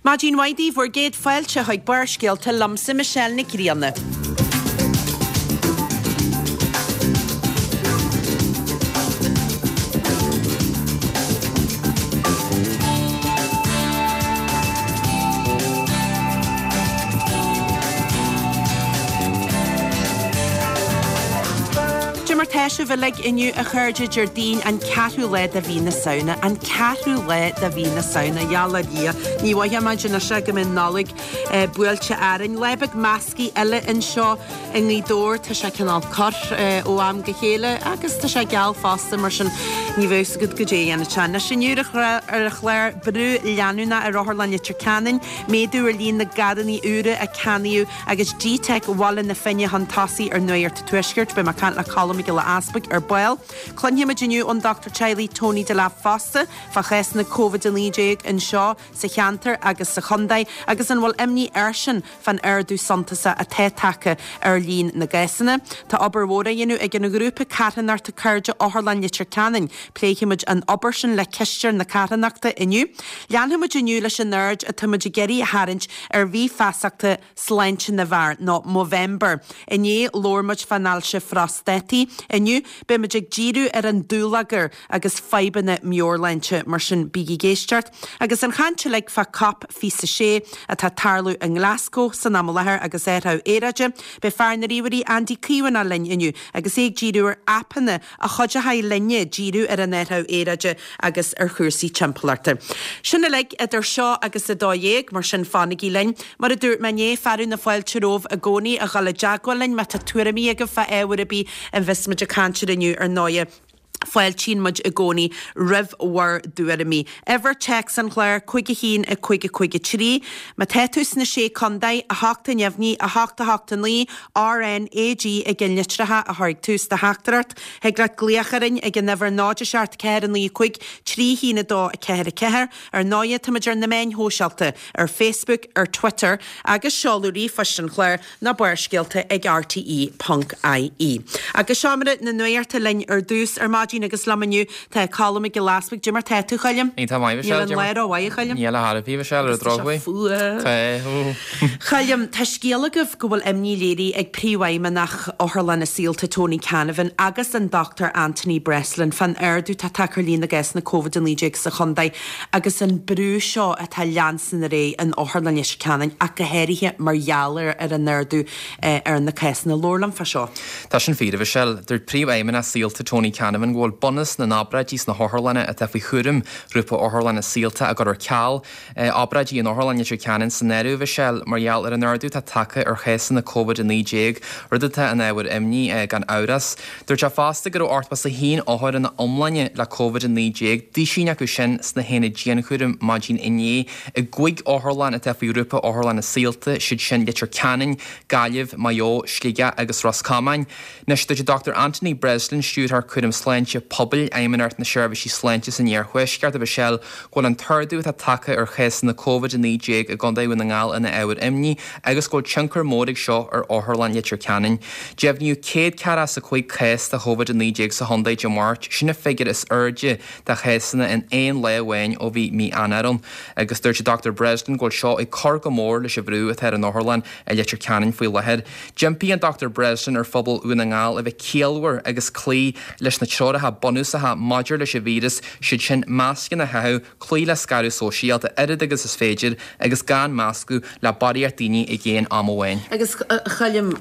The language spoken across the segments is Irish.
Maidin mhaith daoibh, bhur gcéad fáilte chuig Barrscéalta liomsa Michelle Nic Grianna. Cad é mar tá sibh uilig inniu a chairde Déardaoin an ceathrú lá de mhí na Samhna, an ceathrú lá de mhí na Samhna, gheall ar Dhia, ní mhothóidh muid anois go mbeidh Nollaig buailte orainn. Lá beag measctha eile anseo i nGaoth Dobhair, tá sé cineál corr ó am go chéile agus tá sé geal fosta mar sin ní bheadh fhios agat goidé a dhéanfaidh sé. Anois inniu ar an chlár, brú leanúnach ar Otharlann Leitir Ceanainn, méadú ar líon na gcarranna úra a ceannaíodh agus GTeic Bhaile na Finne chun tosaigh ar Nuacht an Tuaiscirt. Beidh mé ag caint le Colm Mac Giolla Easpaig ar ball. Cluinfimid inniu ón dochtúir teaghlaigh Tony Delap fosta fá chásanna Covid-19 anseo sa cheantar agus sa chontae agus an bhfuil imní airsean fán ardú suntasach atá tagtha ar líon na gcásanna. Tá obair mhór á dhéanamh ag an ghrúpa carthanachta Cairde Otharlann Leitir Ceanainn. Pléifimid an obair sin le cisteoir na carthanachta inniu. Leanfaimid inniu leis an aird atáimid ag iarraidh a tharraingt ar mhí feasachta sláinte na bhfear, nó Movember. Inné labhair muid fán ailse phróstataí. Inniu beimid ag díriú ar an dúlagar agus fadhbanna meabhairshláinte, mar sin bígí ag éisteacht. Agus an chaint uilig fá Cop 26 atá ag tarlú i nGlasgow san am i láthair agus athrú aeráide, beidh fear na ríomhairí Andy Caomhánach linn inniu agus é ag díriú ar aipeanna a chuideochaidh linne díriú ar an athrú aeráide agus ar chúrsaí timpeallachta. Sin uilig idir seo agus 12, mar sin fanaigí linn. Mar a dúirt mé inné, fearadh na fáilte romhaibh i gcónaí a dhul i dteagmháil linn má tá tuairimí agaibh fá ábhar ar bith a bheas muid ag caint air inniu ar ndóighe. Fáiltíonn muid i gcónaí roimh bhur dtuairimí. Uimhir téacs an chláir, 5 1 5 5 3. Má tá tú sna Sé Contae, 8 a neamhní, 8 8 9, R N A G i gceannlitreacha a chur ag tús do theachtaireacht. Thig leat glaoch orainn ag an uimhir 0 7 4 9 5 3 1 2 4 4. Ar ndóighe, táimid ar na meáin shóisialta, ar Facebook, ar Twitter, agus seoladh ríomhphoist an chláir ná Barrscéalta ag rte ponc ie. Agus seomra na nuachta linn ar dtús ar maidin agus liom inniu tá Colm Mac Giolla Easpaig. Cad é mar tá tú, Choilm? Iontach maith, Michelle. Níl an lá rómhaith, a Choilm. Níl ar chor ar bith, Michelle, ar an drochuair. Tá sé fuar. Tá. Choilm, tá scéal agaibh go bhfuil imní léirithe ag Príomhfheidhmeannach Otharlanna Saolta Tony Canavan agus an Dr Anthony Breslin fán ardú atá tagtha ar líon na gcásanna Covid-19 sa chontae agus an brú seo atá ag leanstan ar aghaidh in Otharlann Leitir Ceanainn ach go háirithe mar gheall ar ar an ardú ar na cásanna. Labhair liom fá seo. Tá sin fíor, a Mhichelle. Dúirt Príomhfheidhmeannach Saolta Tony Canavan go bhfuil bunús na n-obráidí sna hotharlanna atá faoi chúram Ghrúpa Otharlanna Saolta á gcur ar ceal. Obráidí in Otharlann Leitir Ceanainn san áireamh, a Mhichelle, mar gheall ar an ardú atá tagtha ar chásanna Covid-19, rud atá ina ábhar imní, gan amhras. Dúirt sé fosta go raibh 81 othar ina iomláine le Covid-19, duisín acu sin sna haonaid dianchúraim maidin inné i gcúig otharlann atá faoi Ghrúpa Otharlanna Saolta, siad sin Leitir Ceanainn, Gaillimh, Maigh Eo, Sligeach agus Ros Comáin. Anois, dúirt an Dr Anthony Breslin, Stiúrthóir Cúram Sláinte Pobail, Fheidhmeannacht na Seirbhísí Sláinte san Iarthuaisceart, a Mhichelle, go bhfuil an t-ardú atá tagtha ar chásanna Covid-19 i gContae Dhún na nGall ina ábhar imní agus go bhfuil tionchar mór ag seo ar Otharlann Leitir Ceanainn. Deimhníodh 145 cás de Chovid-19 sa chontae Dé Máirt, sin an figiúr is airde de chásanna in aon lá amháin ó bhí mí Eanáir ann. Agus dúirt an Dr Breslin go bhfuil seo ag cur go mór leis an bhrú atá ar an otharlann i Leitir Ceanainn faoi láthair. D'impigh an Dr Breslin ar phobal Dhún na nGall a bheith ciallmhar agus cloí leis na treoracha bunúsacha maidir leis an víreas, siad sin mascanna a chaitheamh, cloí le scaradh sóisialta oiread agus is féidir agus gan meascadh le barraíocht daoine ag aon am amháin. Agus a Choilm,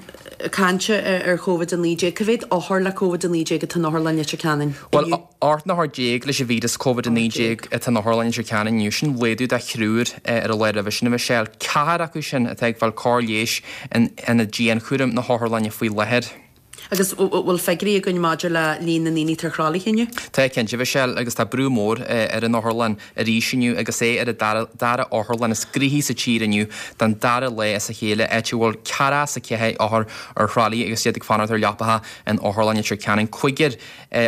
caint ar Covid-19, cá mhéad othar le Covid-19 atá in Otharlann Leitir Ceanainn inniu? Bhuel, 18 othar leis an víreas Covid-19 atá in Otharlann Leitir Ceanainn inniu, sin laghdú de thriúr ar an lá roimhe sin, a Mhichelle. Ceathrar acu sin atá ag fáil cóir leighis in aonad dianchúraim na hotharlainne faoi láthair. Agus bhfuil figiúirí againn maidir le líon na ndaoine atá ar thralaithe inniu? Tá, cinnte, a Mhichelle, agus tá brú mór ar an otharlann arís inniu agus é ar an dara otharlann is gnoithí sa tír inniu don dara lá as a chéile, áit a bhfuil 44 othar ar thralaí agus iad ag fanacht ar leapacha in Otharlann Leitir Ceanainn. Cúigear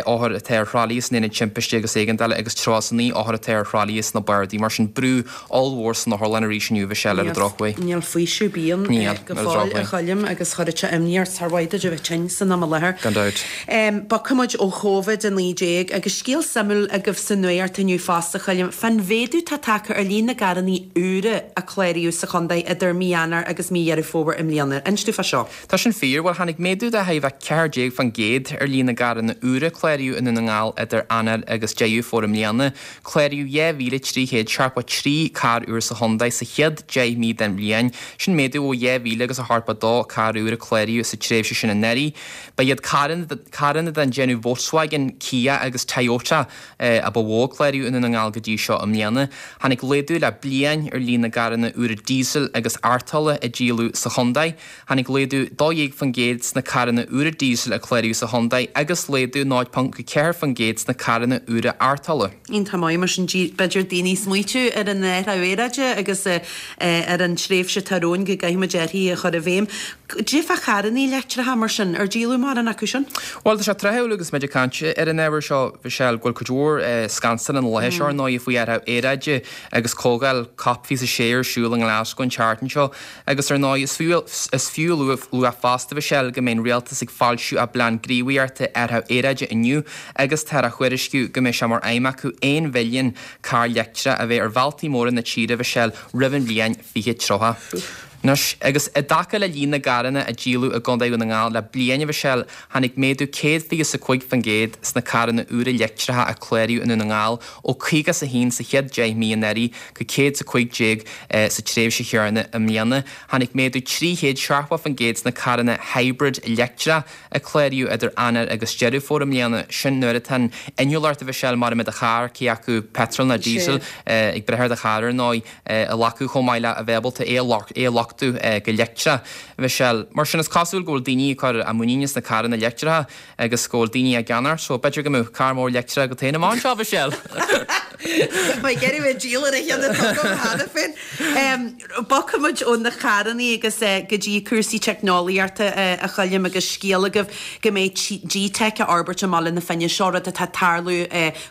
othar atá ar thralaí san Aonad Timpiste agus Éigeandála agus 39 othar atá ar thralaí sna bardaí. Mar sin, brú ollmhór san otharlann arís inniu, a Mhichelle, ar an drochuair. Níl faoiseamh ar bith ann go fóill, a Choilm, agus chuirfeadh sé imní ort. Sár mhaith duit a bheith tinn san. san am i láthair. Gan dabht. Bogfaidh muid ó Covid-19 agus scéal suimiúil agaibh sa nuacht inniu fosta, a Choilm, fán mhéadú atá tagtha ar líon na gcarrannaí úra a cláraíodh sa chontae idir mí Eanáir agus mí Dheireadh Fómhair i mbliana. Inis dúinn fá seo. Tá sin fíor. Bhuel, tháinig méadú de chorr 14% ar líon na gcarranna úra a cláraíodh i nDún na nGall idir Eanáir agus Deireadh Fómhair i mbliana. Cláraíodh 2,373 carr úr sa chontae sa chéad 10 mí den bhliain. Sin méadú ó 2,000 agus a 72 carr úr a cláraíodh sa tréimhse sin anuraidh. Ba iad carranna den déanamh Volkswagen, Kia agus Toyota a ba mhó a cláraíodh i nDún na nGall go dtí seo i mbliana. Tháinig laghdú le bliain ar líon na gcarranna úra díosail agus arrtála a díoladh sa chontae. Tháinig laghdú 12% sna carranna úra díosail a cláraíodh sa chontae agus laghdú 0.4% sna carranna úra arrtála. Iontach maith, mar sin b'fhéidir daoine ag smaoitiú ar an athrú aeráide agus ar an tréimhse atá romhainn go gcaithfidh muid athruithe a chur i bhfeidhm. Cad é fá charrannaí leictreacha mar sin, ar díoladh mórán acu sin? Bhuel, tá sé tráthúil agus muid ag caint ar an ábhar seo, Michelle, go bhfuil cuid mhór scansail na laetha seo ar ndóigh faoi athrú aeráide agus comhdháil Cop 26 ar siúl i nGlasgow an tseachtain seo. Agus ar ndóigh, is fiú is fiú a lua fosta, a Mhichelle, go mbeidh an rialtas ag foilsiú a bplean gníomhaíochta athrú aeráide inniu agus táthar á thuairisciú go mbeidh sé mar aidhm acu 1 mhilliún carr leictreach a bheith ar bhealtaí móra na tíre, a Mhichelle, roimh an bhliain 2030. Anois, agus i dtaca le líon na gcarranna a díoladh i gContae Dhún na nGall le bliain, a Mhichelle, tháinig méadú 125% sna carranna úra leictreacha a cláraíodh i nDún na nGall ó 51 sa chéad 10 mí anuraidh go 115 sa tréimhse chéanna i mbliana. Tháinig méadú 370% sna carranna hybrid leictreach a cláraíodh idir Eanáir agus Deireadh Fómhair i mbliana. Sin nuair atá an innealtóireacht a Mhichelle mar a mbeidh do charr, cé acu peitreal nó díosal, ag brath ar do charr ar ndóigh, a ghlacadh chomh maith le a bheith ábalta é a luchtú go leictreach. A Mhichelle, mar sin is cosúil go bhfuil daoine ag cur a muiníne sna carranna leictreacha. Agus go bhfuil daoine á gceannach, so b'fhéidir go mbeadh carr mór leictreach agat féin amach anseo, a Mhichelle! Tá mé ag iarraidh bheith ag díol ar an cheann atá agam cheana féin. Bogfaidh muid ó na carrannaí agus go dtí cúrsaí teicneolaíochta, a Choilm, agus scéal agaibh go mbeidh G-Teic á fhorbairt i mBaile na Finne. Seo rud atá ag tarlú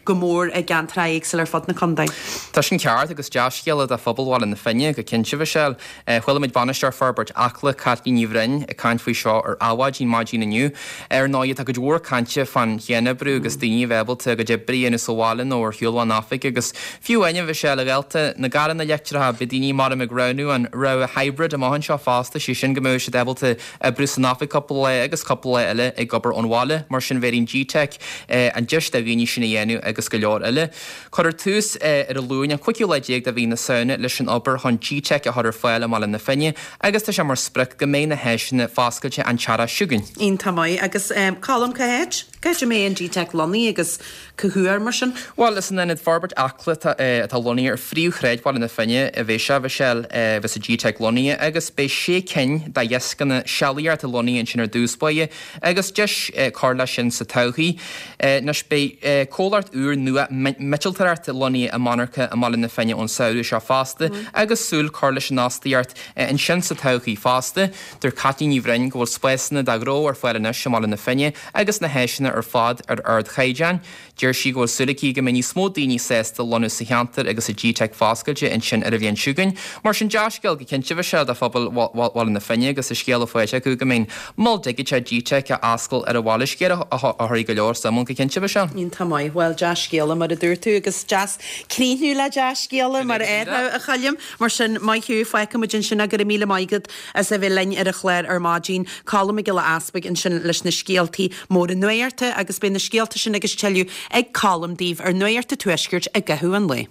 go mór i gceantracha éagsúla ar fud na contae. Tá sin ceart agus dea-scéala do phobal Bhaile na Finne, go cinnte, a Mhichelle. Chuala muid Bainisteoir Forbairt Acla, Caitlín Ní Bhroin, ag caint faoi seo ar Adhmhaidin maidin inniu. Ar ndóigh, tá cuid mhór cainte fán chianoibriú agus daoine a bheith ábalta a gcuid oibre a dhéanamh sa bhaile nó ar shiúl ón oifig agus fiú amháin, a Mhichelle, a ghaolta, na gcarranna leictreacha, beidh daoine maram ag roghnú an rogha hybrid amach anseo fosta, sé sin go mbeidh siad ábalta oibriú san oifig cúpla lá agus cúpla lá eile ag obair ón bhaile. Mar sin bhéarfaidh an G-Teic an deis do dhaoine sin a dhéanamh agus go leor eile. Cuirfear tús ar an Luan, an cúigiú lá déag de mhí na Samhna, leis an obair chun G-Teic a chur ar fáil i mBaile na Finne agus tá sé mar sprioc go mbeidh na háiseanna foscailte an t-earrach seo chugainn. Iontach maith. Agus Colm, cá háit? Cá háit a mbeidh an G-Teic lonnaithe agus cá huair, mar sin? Bhuel, is in Ionad Forbairt Acla atá lonnaithe ar phríomhshráid Bhaile na Finne a bheidh sé, a Mhichelle, a bheas an G-Teic lonnaithe agus beidh sé cinn de dheascanna sealaíochta lonnaithe ansin ar dtús báire agus deis cur leis sin sa todhchaí. Anois beidh comhlacht úr nua miotaltóireachta lonnaithe i monarcha i mBaile na Finne ón samhradh seo fosta agus súil cur leis an fhostaíocht ansin sa todhchaí fosta. Dúirt Caitlín Ní Bhroin go bhfuil spásanna do ghnó ar fáil anois i mBaile na Finne agus na háiseanna ar fad ar ardchaighdeán. Deir sí go bhfuil súil aici go mbeidh níos mó daoine sásta lonnú sa cheantar agus an G-Teic foscailte ansin ar an bhliain seo chugainn. Mar sin, dea-scéal go cinnte a Mhichelle do phobal Bhaile na Finne agus an scéala faighte acu go mbeidh an mol digiteach G-Teic á oscailt ar an bhaile. Scéal a chuirfidh go leor suim ann go cinnte, a Mhichelle. Iontach maith. Bhuel, dea-scéala mar a dúirt tú agus deas críochnú le dea-scéala mar a déarfá, a Choilm. Mar sin, maith thú, fágfaidh muid ansin é. Go raibh míle maith agat as a bheith linn ar an chlár ar maidin. Colm Mac Giolla Easpaig ansin leis na scéaltaí móra nuachta agus beidh na scéalta sin agus tuilleadh ag Colm daoibh ar Nuacht an Tuaiscirt i gcaitheamh an lae.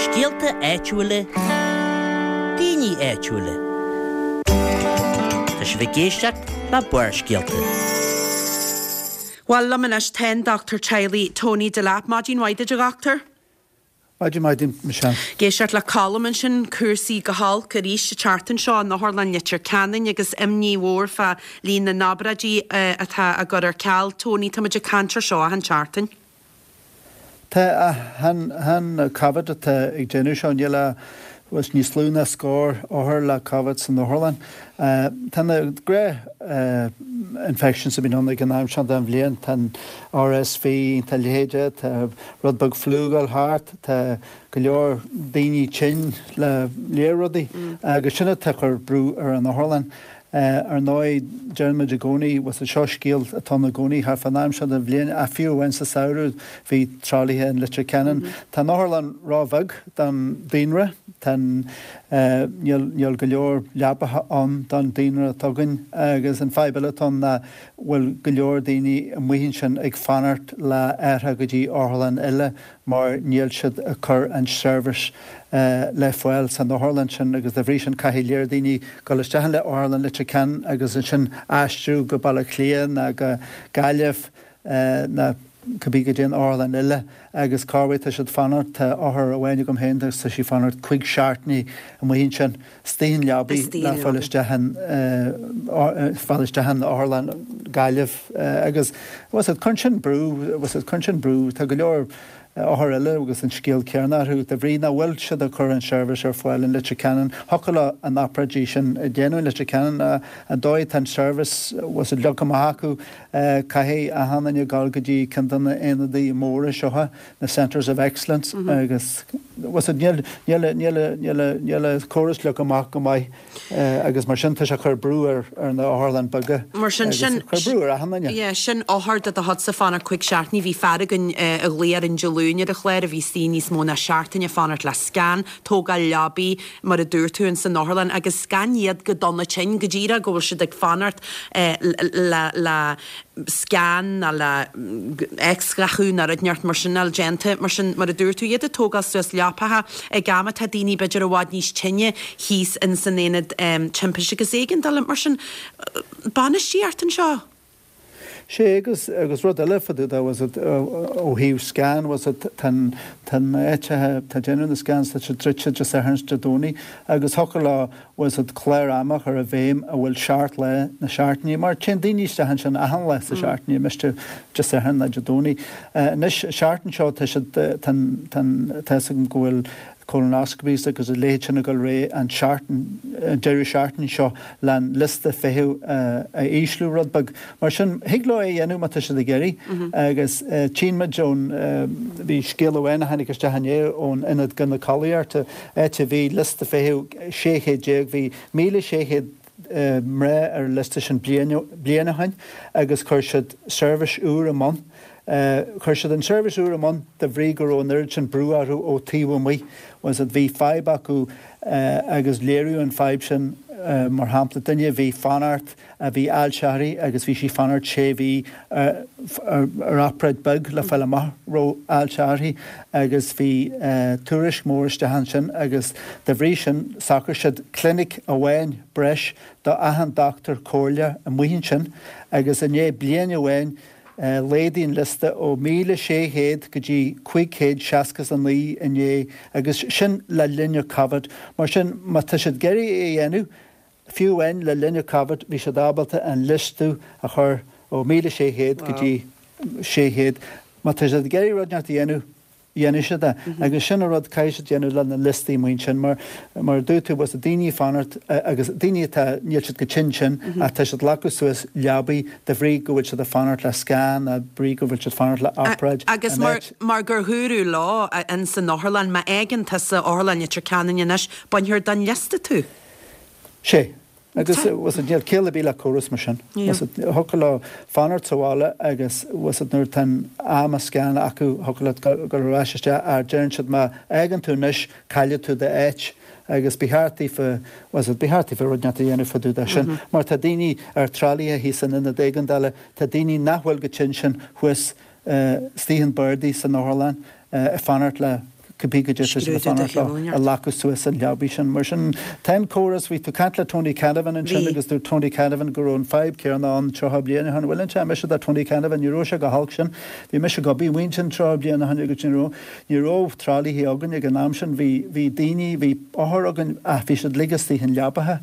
Scéalta áitiúla, daoine áitiúla. Tá sibh ag éisteacht le Barrscéalta. Bhuel, liom anois tá an Dochtúir Teaghlaigh Tony Delap. Maidin mhaith duit a dhochtúir. Maidin mhaith duit, Michelle. Ag éisteacht le Colm ansin, cúrsaí go holc arís an tseachtain seo in Otharlann Leitir Ceanainn agus imní mhór fá líon na n-obráidí atá á gcur ar ceal. Tony, tá muid ag caint ar seo achan tseachtain. Tá, chan Covid atá ag déanamh seo, níl ach níos lú ná scór othar le Covid san otharlann. Tá na gnáth infections a bhíonn ann ag an am seo den bhliain, tá an RSV, tá a leithéid, tá rud beag fliú ag dul thart, tá go leor daoine tinn le lear rudaí agus sin atá ag cur brú ar an otharlann. Ar ndóigh, deireann muid i gcónaí, bhuel seo scéal atá ann i gcónaí thart fán am seo den bhliain, ach fiú amháin sa samhradh bhí tralaithe in Leitir Ceanainn. Tá an otharlann ró-bheag don daonra, tá an, níl, níl go leor leapacha ann don daonra atá againn agus an fadhb eile atá ann ná bhfuil go leor daoine amuigh ansin ag fanacht le athrú go dtí otharlann eile mar níl siad ag cur an seirbhís le fáil san otharlann sin agus dá bhrí sin caithfidh lear daoine dul isteach in le Otharlann Leitir Ceanainn agus ansin aistriú go Baile Átha Cliath ná go Gaillimh ná cibé go dtí an otharlann eile agus corruair tá siad fanacht, tá othar amháin agam féin agus tá sí fanacht cuig seachtainí amuigh ansin. Istigh in leabaidh le fáil isteach in fáil isteach in otharlann Gaillimh agus bhfuil a fhios agat cuireann sin brú bhfuil a fhios agat cuireann sin brú tá go leor othar eile agus an scéal céanna orthu de bhrí nach bhfuil siad ag cur an seirbhís ar fáil in Leitir Ceanainn thiocfadh leo an obráidí sin a dhéanamh in Leitir Ceanainn an dóigh atá an seirbhís bhfuil a fhios agat leagtha amach acu caithfidh achan duine dul go dtí ceann de na aonadaí móra seo na Centres of Excellence agus níl níl an córas leagtha amach go maith agus mar sin tá sé ag cur brú ar ar na otharlann beaga Mar sin agus sin ag cur brú ar achan duine. Yeah, sin othar de do chuidse fanacht cuig seachtainí. Bhí fear againn a ghlaoigh orainn Dé Luain ar an chlár a bhí istigh níos mó ná seachtain ag fanacht le scan, tógáil leabaí mar a dúirt tú ins an otharlann agus gan iad go dona tinn, go díreach go bhfuil siad ag fanacht le le scan ná le x-ghathú ná rud inteacht mar sin a fháil déanta. Mar sin, mar a dúirt tú, iad ag tógáil suas leapacha ag am atá daoine b'fhéidir i bhfad níos tinne thíos in san aonad timpiste agus éigeandála. Mar sin, bainistíocht anseo. Sé agus agus rud eile fá dtaobh de bhfuil a fhios agat ó thaobh scan bhfuil a fhios agat tá an tá na áiteacha atá déanamh na scans tá siad druidte Dé Sathairn is Dé Domhnaigh agus thiocfadh leo bhfuil a fhios agat clár ama a chur i bhfeidhm a bhfuil seacht lá na seachtaine, mar téann daoine isteach ansin achan lá sa seachtain, ní miste Dé Sathairn ná Dé Domhnaigh. Anois, an seachtain seo tá siad, tá an, tá an, tá fhios agam go bhfuil colonoscopies agus a leithéid sin ag dul ar aghaidh an seachtain, an deireadh seachtaine seo le an liosta feithimh a ísliú rud beag. Mar sin, thig leo é a dhéanamh má tá siad ag iarraidh. Agus tchíonn muid ón, bhí scéal amháin a tháinig isteach inné ón Ionad Gínéaceolaíochta, áit a bhí liosta feithimh 600, bhí 1,600 mná ar an liosta sin bliain ó shin agus chuir siad seirbhís úr i mbun. Chuir siad an tseirbhís úr i mbun de bhrí go raibh an oiread sin brú orthu ó taobh amuigh. Bhfuil a fhios agat, bhí fadhb acu agus léiríodh an fadhb sin, mar shampla, duine a bhí fanacht, a bhí ailse uirthi agus bhí sí fanacht sé mhí ar obráid beag le fáil amach raibh ailse uirthi agus bhí tuairisc mór isteach ansin agus de bhrí sin shocraigh siad clinic amháin breis do achan dochtúir comhairle amuigh ansin agus i ndiaidh bliain amháin laghdaigh an liosta ó 1,600 go dtí 569 inné agus sin le linn an Covid. Mar sin má tá siad ag iarraidh é a dhéanamh Fiú amháin le linn an Covid bhí siad ábalta an liosta a chur ó 1,600 go dtí 600. Má tá siad ag iarraidh rud inteacht a dhéanamh, dhéanfaidh siad é. Agus sin an rud caithfidh siad déanamh le na liostaí amuigh ansin mar, mar a dúirt tú, bhfuil a fhios agat daoine ag fanacht agus daoine atá, níl siad go tinn sin ach tá siad ag glacadh suas leabaí de bhrí go bhfuil siad ag fanacht le scan de bhrí go bhfuil siad fanacht le obráid Agus an mar, áit. mar gur dhúradh leo ins an otharlann, má fhágann tusa Otharlann Leitir Ceanainn anois, bainfear den liosta tú. Sé. Agus, bhfuil a fhios agat, níl ciall ar bith le córas mar sin. Bhfuil a fhios agat, thiocfadh leo fanacht sa bhaile agus, bhfuil a fhios agat, nuair atá an am scan acu, thiocfadh leat dul ar ais isteach ach deireann siad má fhágann tú anois, caillfidh tú d'áit agus ba cheart daofa, bhfuil a fhios agat, ba cheart daofa rud inteacht a dhéanamh fá dtaobh de sin. Mar tá daoine ar tralaithe thíos in ionad éigeandála, tá daoine nach bhfuil go tinn sin thuas istigh in bardaí san otharlann ag fanacht le cibé goidé tá siad ag fanacht leo a ghlacadh suas an leabaidh sin. Mar sin, tá an córas, bhí tú ag caint le Tony Canavan ansin agus dúirt Tony Canavan go raibh an fadhb céanna ann 30 bliain ó shin. Bhuel, an mise do Tony Canavan, ní raibh sé chomh holc sin. Bhí mise ag obair amuigh ansin 30 bliain ó shin agus ní raibh, ní raibh tralaithe againn ag an am sin. Bhí, bhí daoine, bhí othair againn ach bhí siad uilig istigh in leabaithe.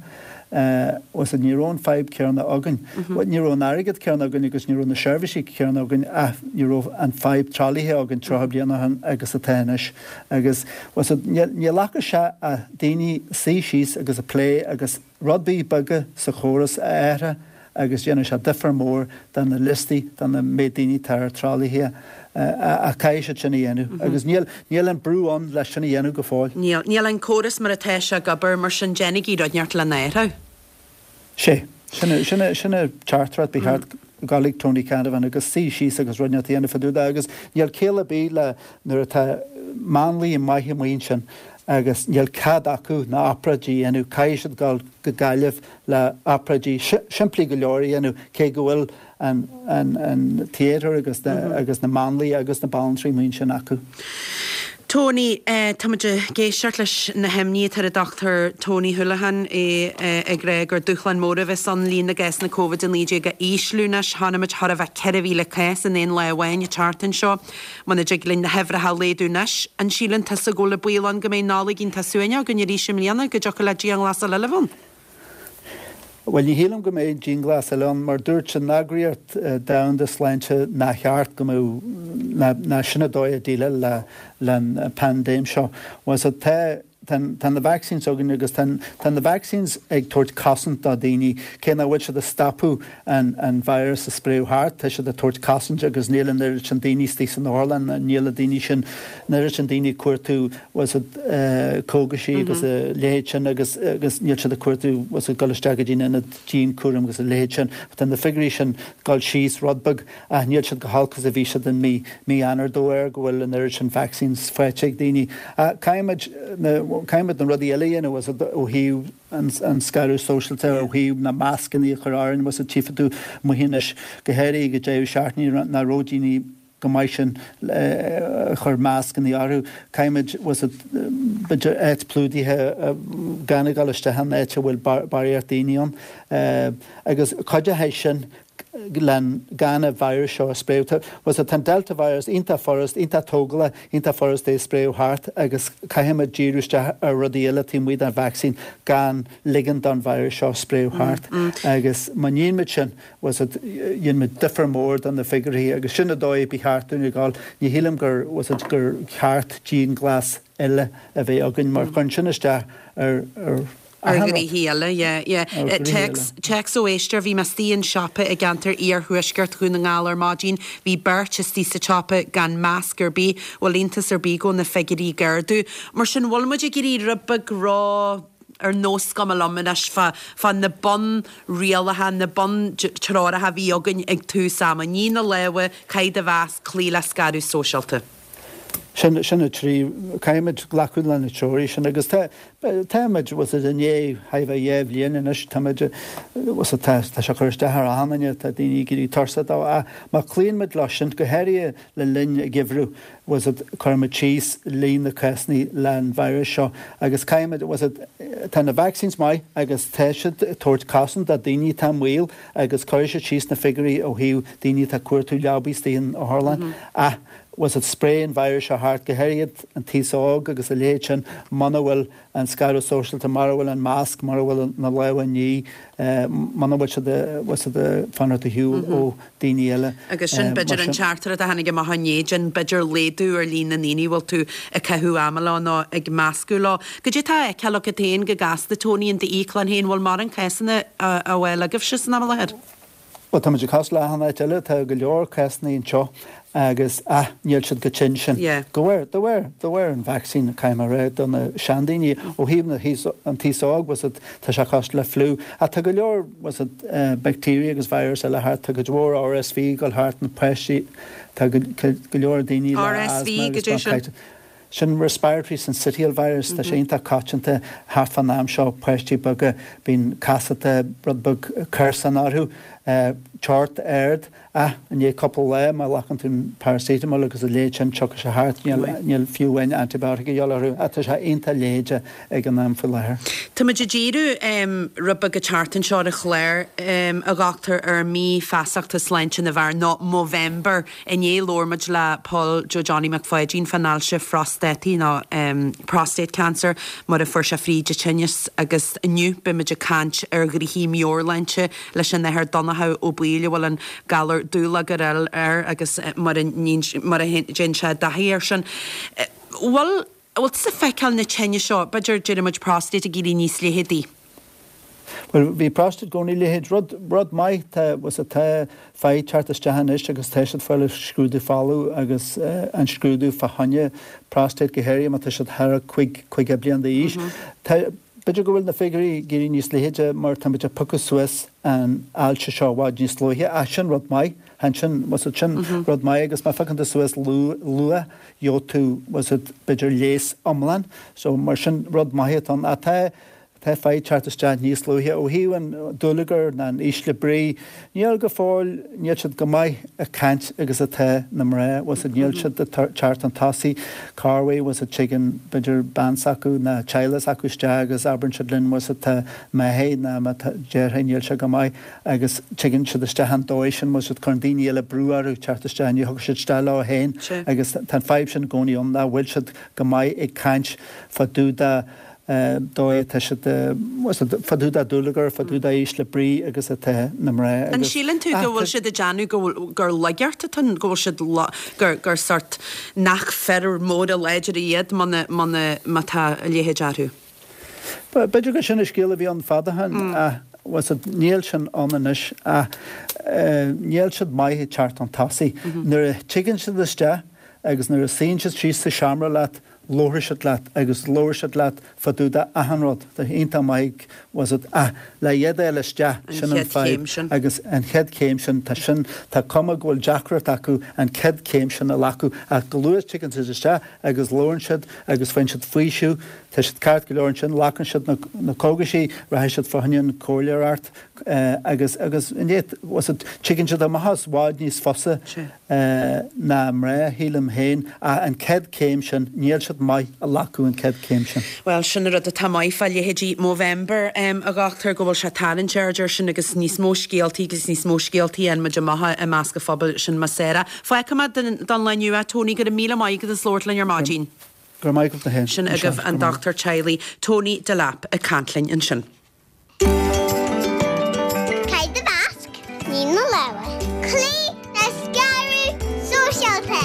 Bhfuil a fhios agat, ní raibh an fadhb céanna againn. Bhuel, ní raibh an airgead céanna againn agus ní raibh na seirbhísí céanna againn ach ní raibh an fadhb tralaithe againn 30 bliain ó shin agus atá anois. Agus, bhfuil a fhios agat, níl ach sé ach daoine suí síos agus a plé agus rudaí beaga sa chóras a athrú agus dhéanfaidh sé difear mór do na liostaí, do na méid daoine atá ar tralaithe ach caithfidh siad sin a dhéanamh agus níl, níl an brú ann leis sin a dhéanamh go fóill. Níl. Níl an córas mar atá sé ag obair, mar sin déanaigí rud inteacht lena athrú. Sé. Sin sin sin an teachtaireacht ba cheart gabháil ag Tony Canavan agus suí síos agus rud inteacht a dhéanamh fá dtaobh de agus níl ciall ar bith le nuair atá máinlia maith amuigh ansin agus níl cead acu na obráidí a dhéanamh, caithfidh siad dul go Gaillimh le obráidí simplí go leor a dhéanamh cé go bhfuil an an theatre agus na agus na máinlia agus na banaltraí amuigh ansin acu. Tony, Táimid ag éisteacht leis na himní atá ar an Dr Tony Holohan, é ag rá gur dúshlán mór a bheas ann líon na gcásanna Covid-19 a ísliú anois. Chonaic muid chóir a bheith 4,000 cás in aon lá amháin an tseachtain seo. Muna dtig linn na huimhreacha a laghdú anois, an síleann tusa go bhfuil an baol ann go mbeidh Nollaig iontach suaimhneach againn arís i mbliana, go dtiocfadh le dianghlasáil eile a bheith ann? Bhuel, ní shílim go mbeidh dianghlasáil ann, mar dúirt an Eagraíocht Domhanda Sláinte nár cheart go mbeadh, ná sin an dóigh a déileáil le an paindéim seo. Bhuel, so tá, tá na vaccines againn agus tá, tá na vaccines ag tabhairt cosaint do daoine, cé nach bhfuil siad ag stopadh an, an virus a spréadh thart, tá siad ag tabhairt cosaint agus níl an oiread sin daoine istigh san otharlann, níl na daoine sin, an oiread sin daoine ag cuartú bhfuil a fhios agat cógaisí agus a leithéid sin agus agus níl siad ag cuartú bhfuil a fhios agat dul isteach go dtí an ionad dianchúraim agus a leithéid sin. Tá na figiúirí sin ag dul síos rud beag ach níl siad chomh holc is a bhí siad in mí mí Eanáir de bharr go bhfuil an oiread sin vaccines faighte ag daoine. Ach caithfimid na caithfimid na rudaí eile a dhéanamh bhfuil a fhios agat ó thaobh an an scaradh sóisialta ó thaobh na mascanna a chur orainn bhfuil a fhios agat tchífidh tú amuigh anois go háirithe ag an deireadh seachtaine nach raibh daoine go maith sin a chur mascanna orthu. Caithfimid, bhfuil a fhios agat, b'fhéidir áit plódaithe gan a dhul isteach in áit a bhfuil barraíocht daoine ann. Agus cuideoidh sin len gan an virus seo a spréadh. Bhfuil a fhios agat, tá an Delta virus iontach furast, iontach tógálach, iontach furast é a spréadh thart agus caithfimid díriú isteach ar rudaí eile taobh amuigh den vacsaín gan ligean don virus seo spréadh thart. Agus má níonn muid sin, bhfuil a fhios agat, dhein muid difear mór do na figiúirí agus sin an dóigh ba cheart dúinn a ghabháil. Ní shílim gur, bhfuil a fhios agat, gur cheart dianghlas eile a bheith againn mar chuireann sin isteach ar, ar Ar achan rud. ghnoithí eile, yeah, yeah. Ar ghnoithí eile. Téacs, téacs ó éisteoir, bhí mé istigh in siopa i gceantar iarthuaisceart Dhún na nGall ar maidin, bhí beirt istigh sa tsiopa gan masc ar bith, bhfuil iontas ar bith go bhfuil na figiúirí ag ardú. Mar sin, bhfuil muid ag éirí rud beag ró, ar nós cuma liom anois fá, fá na bunrialacha, na buntreoracha a bhí againn ag tús ama, nigh na lámha, caith do mhasc, cloígh le scaradh sóisialta. Sin, sin na trí, caithfimid glacadh le na treoirí sin agus tá, táimid, bhfuil a fhios agat, i ndiaidh thar a bheith dhá bhliain anois, táimid, bhfuil a fhios agat, tá, tá sé ag cur isteach ar achan duine, tá daoine ag éirí tuirseach dó ach má chloíonn muid leo sin, go háirithe le linn an gheimhridh, bhfuil a fhios agat, cuirimid síos líon na cásanna leis an virus seo agus caithfimid, bhfuil a fhios agat, tá na vaccines maith agus tá siad ag tabhairt cosaint do daoine atá i mbaol agus cuirfidh siad síos na figiúirí ó thaobh daoine atá ag cuartú leabaí istigh in otharlann ach, bhfuil a fhios agat, spréann an virus seo thart, go háirithe an t-aos óg agus a leithéid sin muna bhfuil an scaradh sóisialta, mura bhfuil an masc, mura bhfuil na lámha á ní, muna bhfuil siad, bhfuil a fhios agat, ag fanacht ar shiúl ó daoine eile. Agus sin b'fhéidir an teachtaireacht a tháinig amach inné, déan b'fhéidir laghdú ar líon na ndaoine a bhfuil tú ag caitheamh ama leo nó ag meascadh leo. Goidé atá á fheiceáil agat féin go gasta, Tony, in d'íoclann féin, bhfuil mórán cásanna á fháil agaibhse san am i láthair? Bhuel, táimid ag cosúil le achan áit eile, tá go leor cásanna anseo agus, ah, níl siad chomh tinn sin. Yeah. De bharr, de bharr, de bharr an vacsaín, caithfidh mé a rá, do na seandaoine, ó thaobh na haos, an t-aos óg, bhfuil a fhios agat, tá sé cosúil le fliú. Ach tá go leor, bhfuil a fhios agat, bacteria agus virus eile thart, tá cuid mhór RSV ag dul thart, na páistí, tá go, go leor daoine le RSV, asthma agus goidé sin? bronchitis. Sin respiratory syncytial virus, tá sé iontach coitianta thart fán am seo, páistí beaga, bíonn casachta, rud beag clamhsán orthu, teocht ard, ach i ndiaidh cúpla lá má ghlacann tú an paracetamol agus a leithéid sin tiocfaidh sé thart, níl, níl fiú amháin antibiotic a dhíobháil orthu, ach tá sé iontach leitheadach ag an am faoi láthair. Tá muid ag díriú rud beag an tseachtain seo ar an chlár, a dhochtúir, ar mí feasachta sláinte na bhfear, nó Movember. Inné labhair muid le Paul Joe Johnny Mac Pháidín fán ailse phrostataí nó prostate cancer mar a fuair sé fríd an tinneas agus inniu beidh muid ag caint ar ghnoithí meabhairshláinte leis an Athair Donnchadh Ó Baoill a bhfuil an galar dúlagar air agus mar a dtéann sé i dtaithí air sin. Bhfuil bhfuil tusa ag feiceáil na tinnis seo, b'fhéidir déarfaidh muid prostate ag éirí níos leitheadaí? Bhuel, bhí prostate i gcónaí leithead. Rud, rud maith, tá, bhfuil a fhios agat, tá fir ag teacht isteach anois agus tá siad ag fáil scrúdú folamh agus an scrúdú fá choinne prostate go háirithe má tá siad thar 50 bliain d'aois. Tá. B'fhéidir go bhfuil na figiúirí ag éirí níos leithide mar táimid ag piocadh suas an ailse seo i bhfad níos luaithe ach sin rud maith. Ansin, bhfuil 's agat, sin rud maith agus má phiocann tú suas luath, gheobhaidh tú, bhfuil 's agat, b'fhéidir leigheas iomlán. So, mar sin, rud maith atá ann. Ach tá, tá fadhb teacht isteach níos luaithe. Ó thaobh an dúlagar ná an ísle brí, níl go fóill, níl siad chomh maith ag caint agus atá na mná, bhfuil 's agat, níl siad ag teacht chun tosaigh. Corruair, bhfuil 's agat, tigeann, b'fhéidir, bean s'acu ná teaghlach s'acu isteach agus abrann siad linn, bhfuil 's agat, tá m'athair ná mo dheartháir, níl sé go maith. agus tigeann siad isteach an dóigh sin, bhfuil 's agat, cuireann daoine eile brú orthu teacht isteach, ní thiocfaidh siad isteach leo féin agus tá an fadhb sin i gcónaí ann, nach bhfuil siad go maith ag caint fá dtaobh de dóigh atá siad, bhfuil 's agat, fá dtaobh de dúlagar, fá dtaobh de ísle brí agus atá na mná An agus. síleann tú go bhfuil siad ag déanamh go bhfuil, gur laigeacht atá ann, go bhfuil siad, gur, gur sort nach fir móra láidre iad muna, muna, má tá a leithéid orthu? B'fhéidir gur sin an scéal a bhí ann fad ó shin ach bhfuil 's agat, níl sin ann anois ach níl siad maith ag teacht chun tosaigh. Nuair a tigeann siad isteach agus nuair a suíonn siad síos sa seomra leat, labharfaidh siad leat agus labharfaidh siad leat fá dtaobh de achan rud. Tá iontach maith ag, bhfuil 's agat, ach le iad a fháil isteach, sin an fadhb agus an chéad chéim sin, tá sin, tá cuma go bhfuil deacracht acu an chéad chéim sin a ghlacadh ach chomh luath is tigeann siad isteach agus labhrann siad agus faigheann siad faoiseamh, Tá siad ceart go leor ansin, glacann siad na cógaisí, rachaidh siad fá choinne an comhairleoireacht agus agus i ndiaidh, bhfuil 's agat, tigeann siad amach as i bhfad níos fusa ná mná, shílim féin, ach an chéad chéim sin, níl siad maith a ghlacadh an chéad chéim sin. Bhuel, sin an rud atá maith fá leithéidí Movember, a dhochtúir, go bhfuil sé ag tarraingt aird air sin agus níos mó scéaltaí agus níos mó scéaltaí a fhaigheann muid amach i measc an phobail, sin más é. Fágfaidh mé don lá inniu é, Tony, go raibh míle maith agat as labhairt linn ar maidin. Go raibh maith agat féin. Sin agaibh an dochtúir teaghlaigh Tony Delap ag caint linn ansin. Caith do mhasc, nigh do lámha. Cloígh le scaradh sóisialta.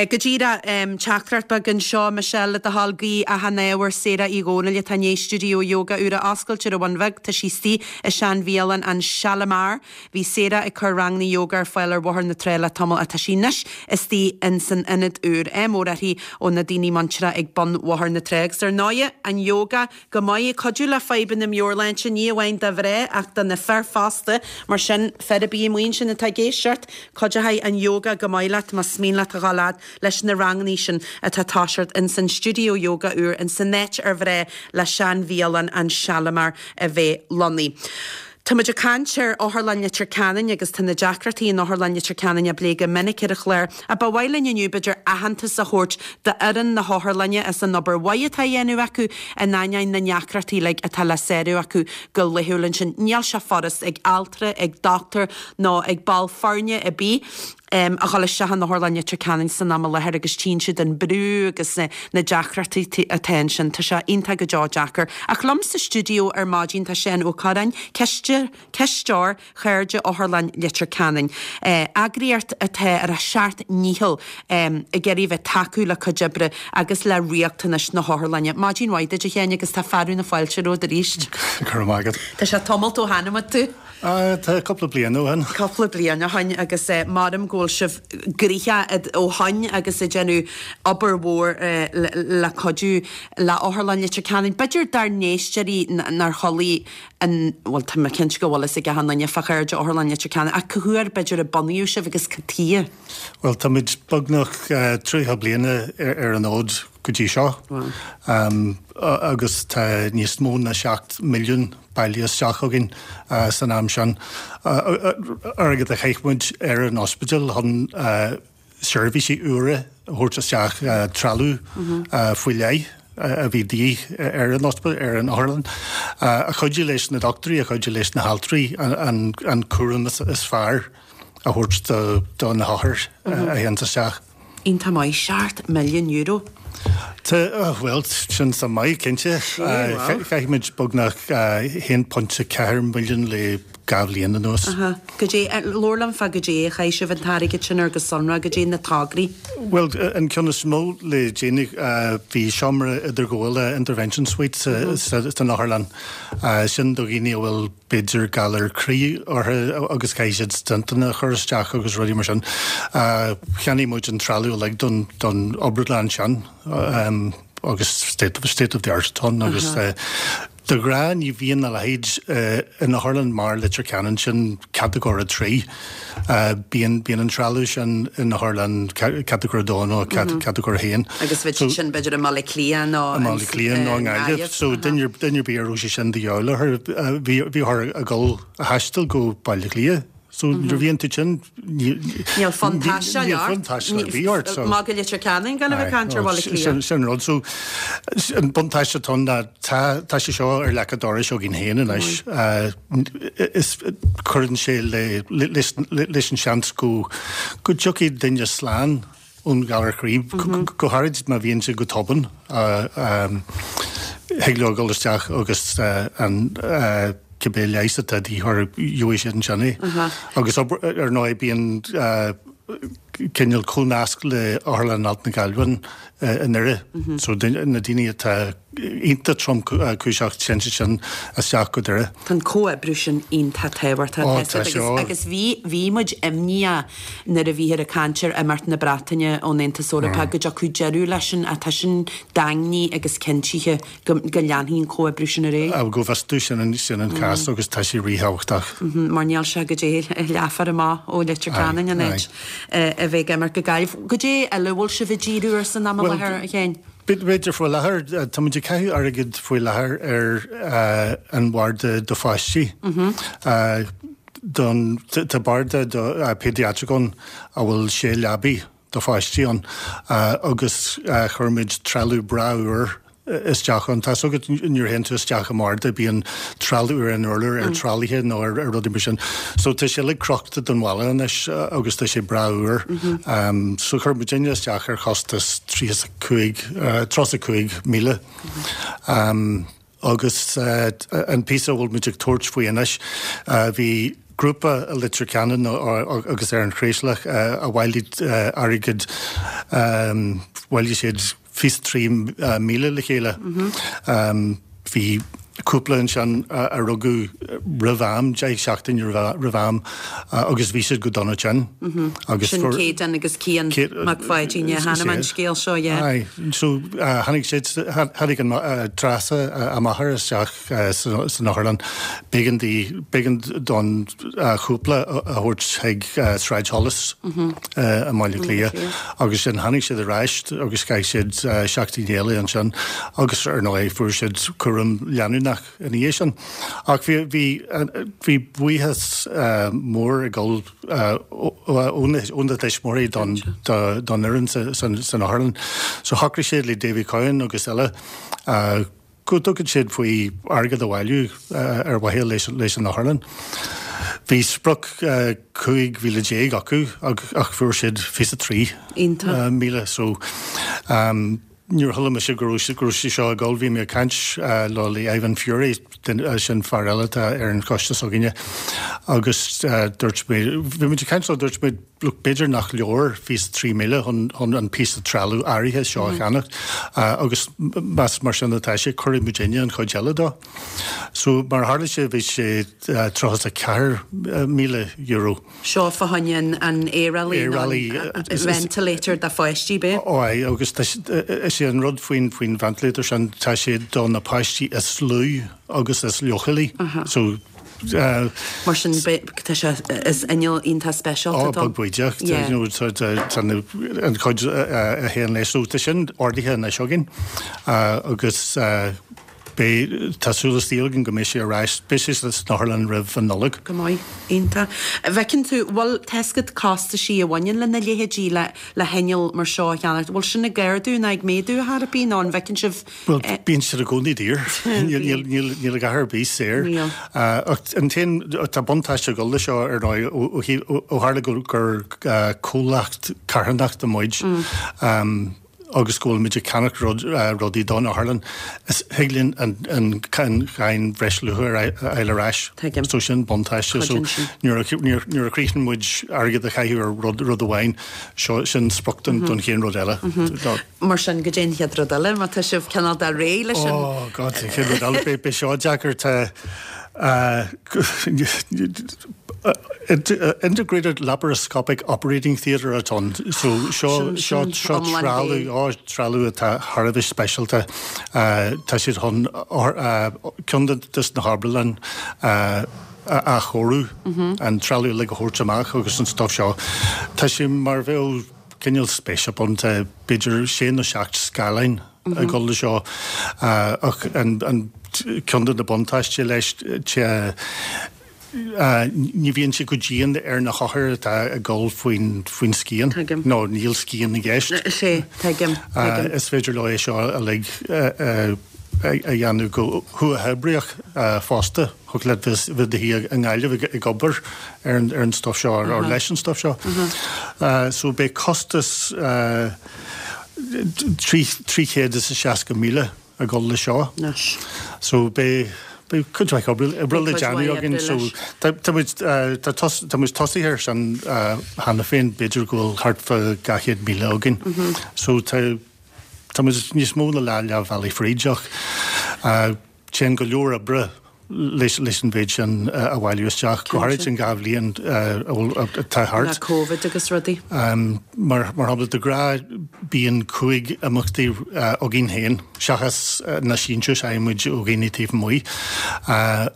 Go díreach, teachtaireacht beag anseo, Michelle, le do thoil, guí achan ádh ar Sarah Uí Dhónaill atá i ndiaidh stiúideo ióga úr a oscailt ar an Bhun Bheag. Tá sí istigh i sean-bhialann an Shalimar. Bhí Sarah ag cur ranganna ióga ar fáil ar Bhóthar na Trá le tamall ach tá sí anois istigh in san ionad úr. Ádh mór uirthi ó na daoine muinteartha ag bun Bhóthar na Trá. Agus ar ndóighe, an ióga go maith ag cuidiú le fadhbanna meabhairshláinte, ní amháin do mhná ach do na fir fosta. Mar sin, fear ar bith amuigh ansin atá ag éisteacht, cuideoidh an ióga go maith leat más mian leat a dhul fhad leis na rangannaí sin atá ag toiseacht in san stiúideo ióga úr in san áit ar bhreá le sean-bhialann an Shalimar a bheith lonnaithe. Tá muid ag caint ar Otharlann Leitir Ceanainn agus tá na deacrachtaí in Otharlann Leitir Ceanainn á bplé go minic ar an chlár ach ba mhaith linn inniu b'fhéidir aitheantas a thabhairt d'fhoireann na hOtharlainne as an obair mhaith atá á dhéanamh acu in ainneoin na ndeacrachtaí uilig atá le sárú acu go laethúil ansin. Níl sé furast ag altra, ag dochtúir nó ag ball foirne ar bith. a dhul isteach in Otharlann Leitir Ceanainn san am i láthair agus tchíonn siad an brú agus na deacrachtaí atá ansin. Tá sé iontach go deo deacair. Ach liom sa stiúideo ar maidin tá Seán Ó Corráin, Cisteoir Chairde Otharlann Leitir Ceanainn, eagraíocht atá ar a seacht ndícheall ag iarraidh a bheith tacú le cuid oibre agus le riachtanais na hOtharlainne. Maidin mhaith duit a Sheáin agus tá fearadh na fáilte romhat arís. Go raibh maith agat. Tá sé tamalt ó chonaic muid tú. Tá cúpla bliain ó shin. Cúpla bliain ó shin agus maram go bhfuil sibh gnoitheach ó shoin agus ag déanamh obair mhór le cuidiú le Otharlann Leitir Ceanainn. B'fhéidir dár n-éisteoirí nár chuala an, bhuel tá mé cinnte go bhfuil fhios ag achan duine fá Chairde Otharlann Leitir Ceanainn ach cá huair b'fhéidir a bunaíodh sibh agus cad tuighe? Bhuel táimid beagnach 30 bliana ar an fhód go dtí seo agus tá níos mó ná 7 milliún bailithe isteach againn san am sin. Airgead a chaith muid ar an ospidéal chun seirbhísí úra a thabhairt isteach, trealamh faoi leith a bhí de dhíth ar an ospidéal, ar an otharlann, a chuidigh leis na dochtúirí, a chuidigh leis na haltraí an cúram is fearr a thabhairt do na hothair a théanns isteach. Iontach maith, €7 milliún. Tá, bhuel, sin suim maith, cinnte. Chaith muid beagnach 1.4 milliún le dhá bhliain anuas. Aha. Goidé, labhair liom fá goidé a chaith sibh an t-airgead sin ar go sonrath, goidé na tograí. Bhuel, an ceann is mó le déanaí, bhí seomra idirghabhála, intervention suite, san otharlann. Sin do dhaoine a bhfuil b'fhéidir galar croí orthu agus caithfidh siad stentanna a chur isteach agus rudaí mar sin. Cheannaigh muid an trealamh uilig don, don obrádlann sin. agus state of the art atá ann agus de ghnáth ní bhíonn a leithéid in otharlann mar Leitir Ceanainn, sin catagóir 3. Bíonn bíonn an trealamh sin in otharlann catagóir 2 nó catagóir 1. Agus bheadh sin b'fhéidir i mBaile Átha Cliath nó i mBaile Átha Cliath nó i nGaillimh. So duine duine ar bith a raibh sé sin de dhíobháil orthu bhí bhí orthu a dhul a thaisteal go Baile Átha Cliath. So nuair a bhíonn tú tinn Níl fonn taistil Níl fonn taistil ar bith ort. So Maith go Leitir Ceanainn gan a bheith ag caint ar Bhaile Átha Cliath. Sin sin an rud. So an buntáiste atá ann ná tá tá sé seo ar leac an dorais againn féin anois. Is cuireann sé le leis leis an seans go go dtiocfaidh duine slán ón ghalar croí, go háirid má bhíonn sé go tobann. Thig leo dul isteach agus an cibé leigheas atá de dhíth orthu, gheobhaidh siad ansin é. Agus ar ndóigh bíonn cineál comhnasc le Otharlann Alt na Gaillimhe i nDoire. So na daoine atá iontach tromchúiseach téann siad sin isteach go Doire. Tá an comhoibriú sin iontach tábhachtach Ó, tá agus agus bhí bhí muid imníoch nuair a bhíthear ag caint ar imeacht na Breataine ón Aontas Eorpach go dtiocfadh deireadh leis sin ach tá sin daingnithe agus cinntithe go go leanfaidh an comhoibriú sin ar aghaidh. Go bhfios domh sin an sin an cás agus tá sé ríthábhachtach. Mar níl sé go dté leathuair amach ó Leitir Ceanainn an áit a bheith ag imirt go Gaillimh. Goidé eile a bhfuil sibh ag díriú air san am i láthair, a Sheáin? B'fhéidir faoi láthair, tá muid ag caitheamh airgid faoi láthair ar an bharda do pháistí. Don, tá barda do paediatric ann a bhfuil sé leabaidh do pháistí ann agus chuir muid trealamh breá úr isteach ann. Tá's agat nuair a théann tú isteach i mbarda bíonn trealamh ar an urlár, ar tralaithe nó ar rudaí mar sin. So tá sé uilig crochta don bhalla anois agus tá sé breá úr. So chuir muidinne isteach ar chostas 35, 35,000. Agus an píosa a bhfuil muid ag tabhairt faoi anois, bhí grúpa i Leitir Ceanainn agus ar an Chraoslach a bhailigh airgead, bhailigh siad 23,000 le chéile. Bhí cúpla ansin a rugadh roimh am, 10 seachtaine roimh am agus bhí siad go dona tinn. Agus Sin Céadan agus Cian Mac Pháidín, yeah, chonaic mé an scéal seo, yeah. Aye, so tháinig siad, tháinig an Treasa a máthair isteach san otharlann. B'éigean di, b'éigean don chúpla a thabhairt chuig Sráid Holles i mBaile Átha Cliath agus sin tháinig siad ar ais agus chaith siad seachtain eile ansin agus ar ndóigh fuair siad cúram leanúnach ina dhiaidh sin. Ach bhí, bhí, bhí buíochas mór ag dul ó na tuismitheoirí don, don fhoireann san otharlann. So shocraigh siad le Davy Cowen agus eile go dtugann siad faoi airgead a bhailiú ar mhaithe leis an otharlann. Bhí sprioc 15,000 acu ach fuair siad 23,000 so nuair a chuala mise go raibh go raibh sé seo ag dul bhí mé ag caint le le Ivan Furey sin fear eile atá ar an choiste s'againne agus dúirt mé bhí muid ag caint leo dúirt mé Look, b'fhéidir nach leor 23,000 chun chun an píosa trealamh áirithe seo a cheannacht agus más mar sin atá sé, cuirfidh muidinne an chuid eile dó. So, mar a tharla sé, bhí sé €34,000. Seo fá choinne an an aerálaí nó an ventilator do pháistí, b'é? Ó aye, agus tá is é an rud faoin faoin ventilator sin, tá sé do na páistí is lú agus is leochailí. So, Mar sin, tá sé, is inneall iontach speisialta Ó, beag bídeach, you know, tá an chuid a théann leis. So tá sin ordaithe anois againn agus beidh, tá súil is saol againn go mbeidh sé ar ais, beidh sé san otharlann roimh an Nollaig. Go maith, iontach. Bhfeiceann tú, bhfuil, tá's agat costaisí a bhaineann lena leithéidí, le le hinneall mar seo a cheannacht, bhfuil sin ag ardú ná ag méadú ar chor ar bith nó an bhfeiceann sibh Bhuel, bíonn siad i gcónaí daor. Níl a dhath ar bith saor. Ach an t-aon, tá buntáiste ag dul leis seo ar ndóigh ó tharla gur comhlacht carthanachta muid agus go bhfuil muid ag ceannach rudaí don otharlann, is thig linn an cháin bhreisluacha a fháil ar ais. So sin buntáiste. So nuair a chríochnaíonn muid airgead a chaitheamh ar rud amháin, seo sin sprioc don chéad rud eile. Mar sin, goidé an chéad rud eile, má tá sibh cineál de réidh leis an. Oh God, an chéad rud eile, beidh seo deacair, tá. Integrated Laparoscopic Operating Theatre atá ann. So seo seo seo trealamh á trealamh atá thar a bheith speisialta. Tá siad chun ceann de na hobrádlanna a athchóiriú, an trealamh uilig a thabhairt amach agus an stuff seo. Tá sé mar a bheadh cineál spaceship ann, tá b'fhéidir sé nó seacht scáileáin ag dul le seo ach an ceann de na buntáistí leis tá Ní bhíonn sé chomh dian ar na hothair atá ag dul faoin scian, nó níl scian i gceist. Is ea, tuigim, tuigim. Is féidir leo é seo uilig a dhéanamh go huathoibríoch fosta. Thiocfadh leat bheith i do shuí i nGaillimh ag obair ar an stuff seo, or leis an stuff seo. So beidh costas 360,000 ag dul le seo. Anois. So beidh, beidh cuid mhaith oibre, oibre le déanamh againn so tá, tá muid, tá tos, tá muid tosaithe air sin cheana féin, b'fhéidir go bhfuil thart fá 200,000 againn. So tá, tá muid níos mó ná leath, leath bhealaigh fríd ach téann go leor oibre leis an mhéid sin a bhailiú isteach, go háirid in 2 bhliain atá thart. Le Covid agus rudaí. Mar shampla, de ghnáth bíonn 5 imeachtaí againn féin, seachas na síntiúis a fhaigheann muid ó dhaoine taobh amuigh,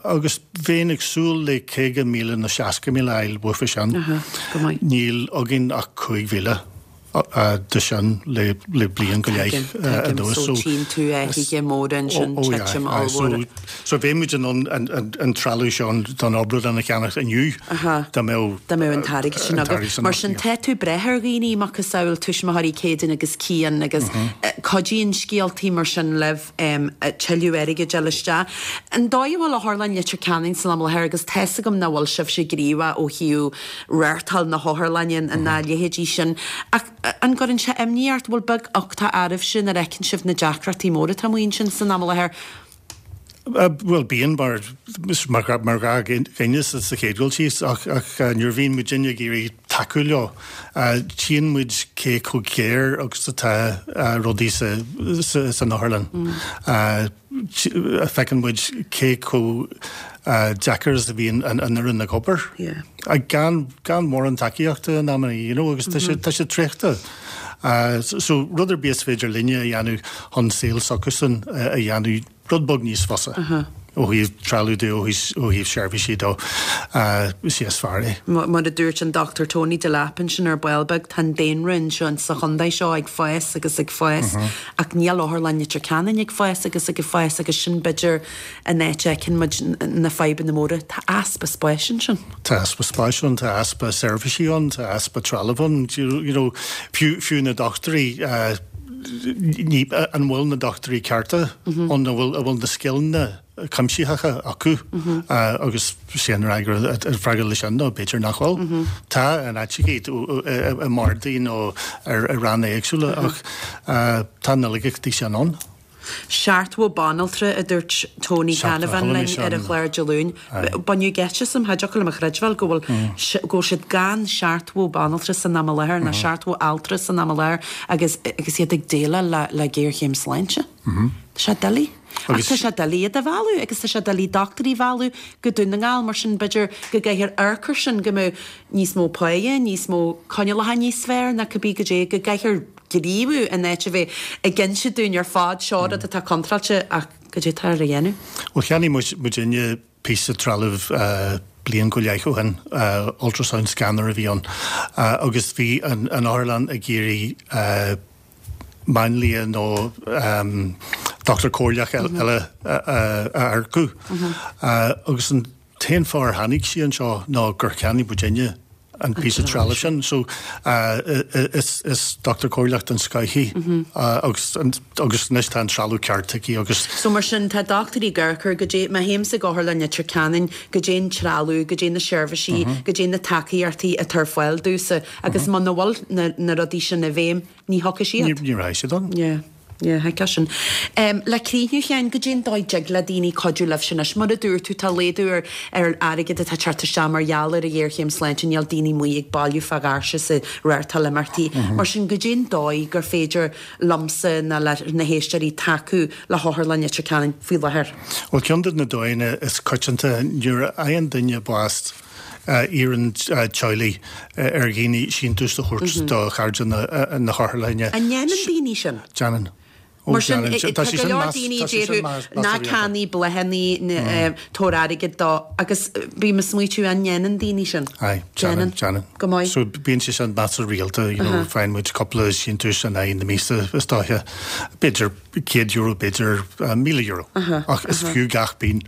agus bheinn ag súil le 50,000 nó 60,000 a fháil uafa sin. Níl againn ach 5,000. de sin le bliain go leith anuas. So tchíonn tú athruithe móra ansin, titim ollmhór. So bheadh muid in ann an trealamh seo don obrádlann a cheannach inniu dá mbeadh dá mbeadh an t-airgead sin agat. Mar sin tá tú ag brath ar dhaoine, macasamhail tuismitheoirí Céadaoin agus Cian agus cuidíonn scéaltaí mar sin libh tuilleadh airgid a fháil isteach. An dóigh a bhfuil Otharlann Leitir Ceanainn san am i láthair agus tá's agam nach bhfuil sibhse gníomhach ó thaobh reáchtáil na hotharlainne ná a leithéidí sin. Ach an gcuireann sé imní ort, bhfuil beag uchtach oraibhse nuair a fheiceann sibh na deacrachtaí móra atá amuigh ansin san am i láthair? Bhuel, bíonn, mar mar ghnáthdhuine sa chéad dul síos, ach nuair a bhíonn muidinne ag iarraidh tacú leo, tchíonn muid cé chomh géar agus atá rudaí san otharlann. Feiceann muid cé chomh deacair is a bhíonn an fhoireann ag obair. Gan gan mórán tacaíochta in amanna, you know, agus tá sé tá sé traochta. So rud ar bith is féidir linne a dhéanamh chun saol s'acusan a dhéanamh rud beag níos fusa ó thaobh trealamh de, ó thaobh seirbhísí de, is é is fearr é. Mar a dúirt an Dr Tony Delap ansin ar ball beag, tá an daonra anseo sa chontae seo ag fás agus ag fás ach níl Otharlann Leitir Ceanainn ag fás agus ag fás agus sin b'fhéidir an áit a fheiceann muid na fadhbanna móra. Tá easpa spáis ansin. Tá easpa spáis ann, tá easpa seirbhísí ann, tá easpa trealaimh ann, you know, fiú, fiú na dochtúirí, ní, an bhfuil na dochtúirí cearta ann, an bhfuil, an bhfuil na scileanna cuimsitheacha acu agus sé an fhreagra, an freagra leis sin ná b'fhéidir nach bhfuil. Tá in áiteachaí, i mbardaí nó ar ranna éagsúla ach tá na laigeachtaí sin ann. 70 banaltra, a dúirt Tony Canavan linn ar an chlár Dé Luain. Baineadh geit asam, cha dtiocfadh liom a chreidbheáil go bhfuil go bhfuil siad gan 70 banaltra san am i láthair, nó 70 altra san am i láthair agus agus iad ag déileáil le le géarchéim sláinte. Tá sé doiligh. Ach tá sé doiligh iad a mhealladh agus tá sé doiligh dochtúirí a mhealladh go Dún na nGall, mar sin b'fhéidir go gcaithfear amharc air sin, go mbeadh níos mó páighe, níos mó coinníollacha níos fearr ná cibé goidé, go gcaithfear gníomhú in áit a bheith ag inse dúinn ar fad seo rud atá contráilte ach goidé atá ar a dhéanamh. Bhuel cheannaigh muid muidinne píosa trealaimh bliain go leith ó shin, ultrasound scanner a bhí ann, agus bhí an otharlann ag iarraidh máinlia nó dochtúir comhairleach eile a earcú agus an t-aon fáth ar tháinig sí anseo ná gur cheannaigh muidinne an píosa trealaimh sin. So is dochtúir comhairleach den scoth í agus agus anois tá an trealamh ceart aici agus. So mar sin tá dochtúirí ag amharc ar goidé, má théimse ag Otharlann Leitir Ceanainn, goidé an trealamh, goidé na seirbhísí, goidé na tacaíochtaí atá ar fáil domhsa agus muna bhfuil na rudaí sin i bhfeidhm, Ní thiocfaidh siad. Ní raghaidh siad ann. Yeah. Yeah, thuigfeá sin. Le críochnú, a Sheáin, goidé an dóigh dtig le daoine cuidiú libhse anois? Mar a dúirt tú, tá laghdú ar ar airgead atá ag teacht isteach mar gheall ar an ghéarchéim sláinte, níl daoine amuigh ag bailiú fá dhoirse is ag reáchtáil imeachtaí. Mar sin, goidé an dóigh gur féidir liomsa nó le na héisteoirí tacú le hOtharlann Leitir Ceanainn faoi láthair? Bhuel, ceann de na dóigheanna is coitianta nuair a fhaigheann duine bás. Iarrann teaghlaigh ar dhaoine síntiús a thabhairt do chairde na hotharlainne. An ndéanann daoine sin? Déanann. Mar sin, tá go leor daoine a déarfadh ná ceannaigh bláthanna, tabhair airgead dó, agus bím ag smaoitiú an ndéanann daoine sin? Aye, déanann, déanann. Go maith. So bíonn sé sin measartha rialta, you know, faigheann muid cúpla síntiús in aghaidh na míosa is dóiche, b'fhéidir €100, b'fhéidir €1,000, ach is fiú gach pingin.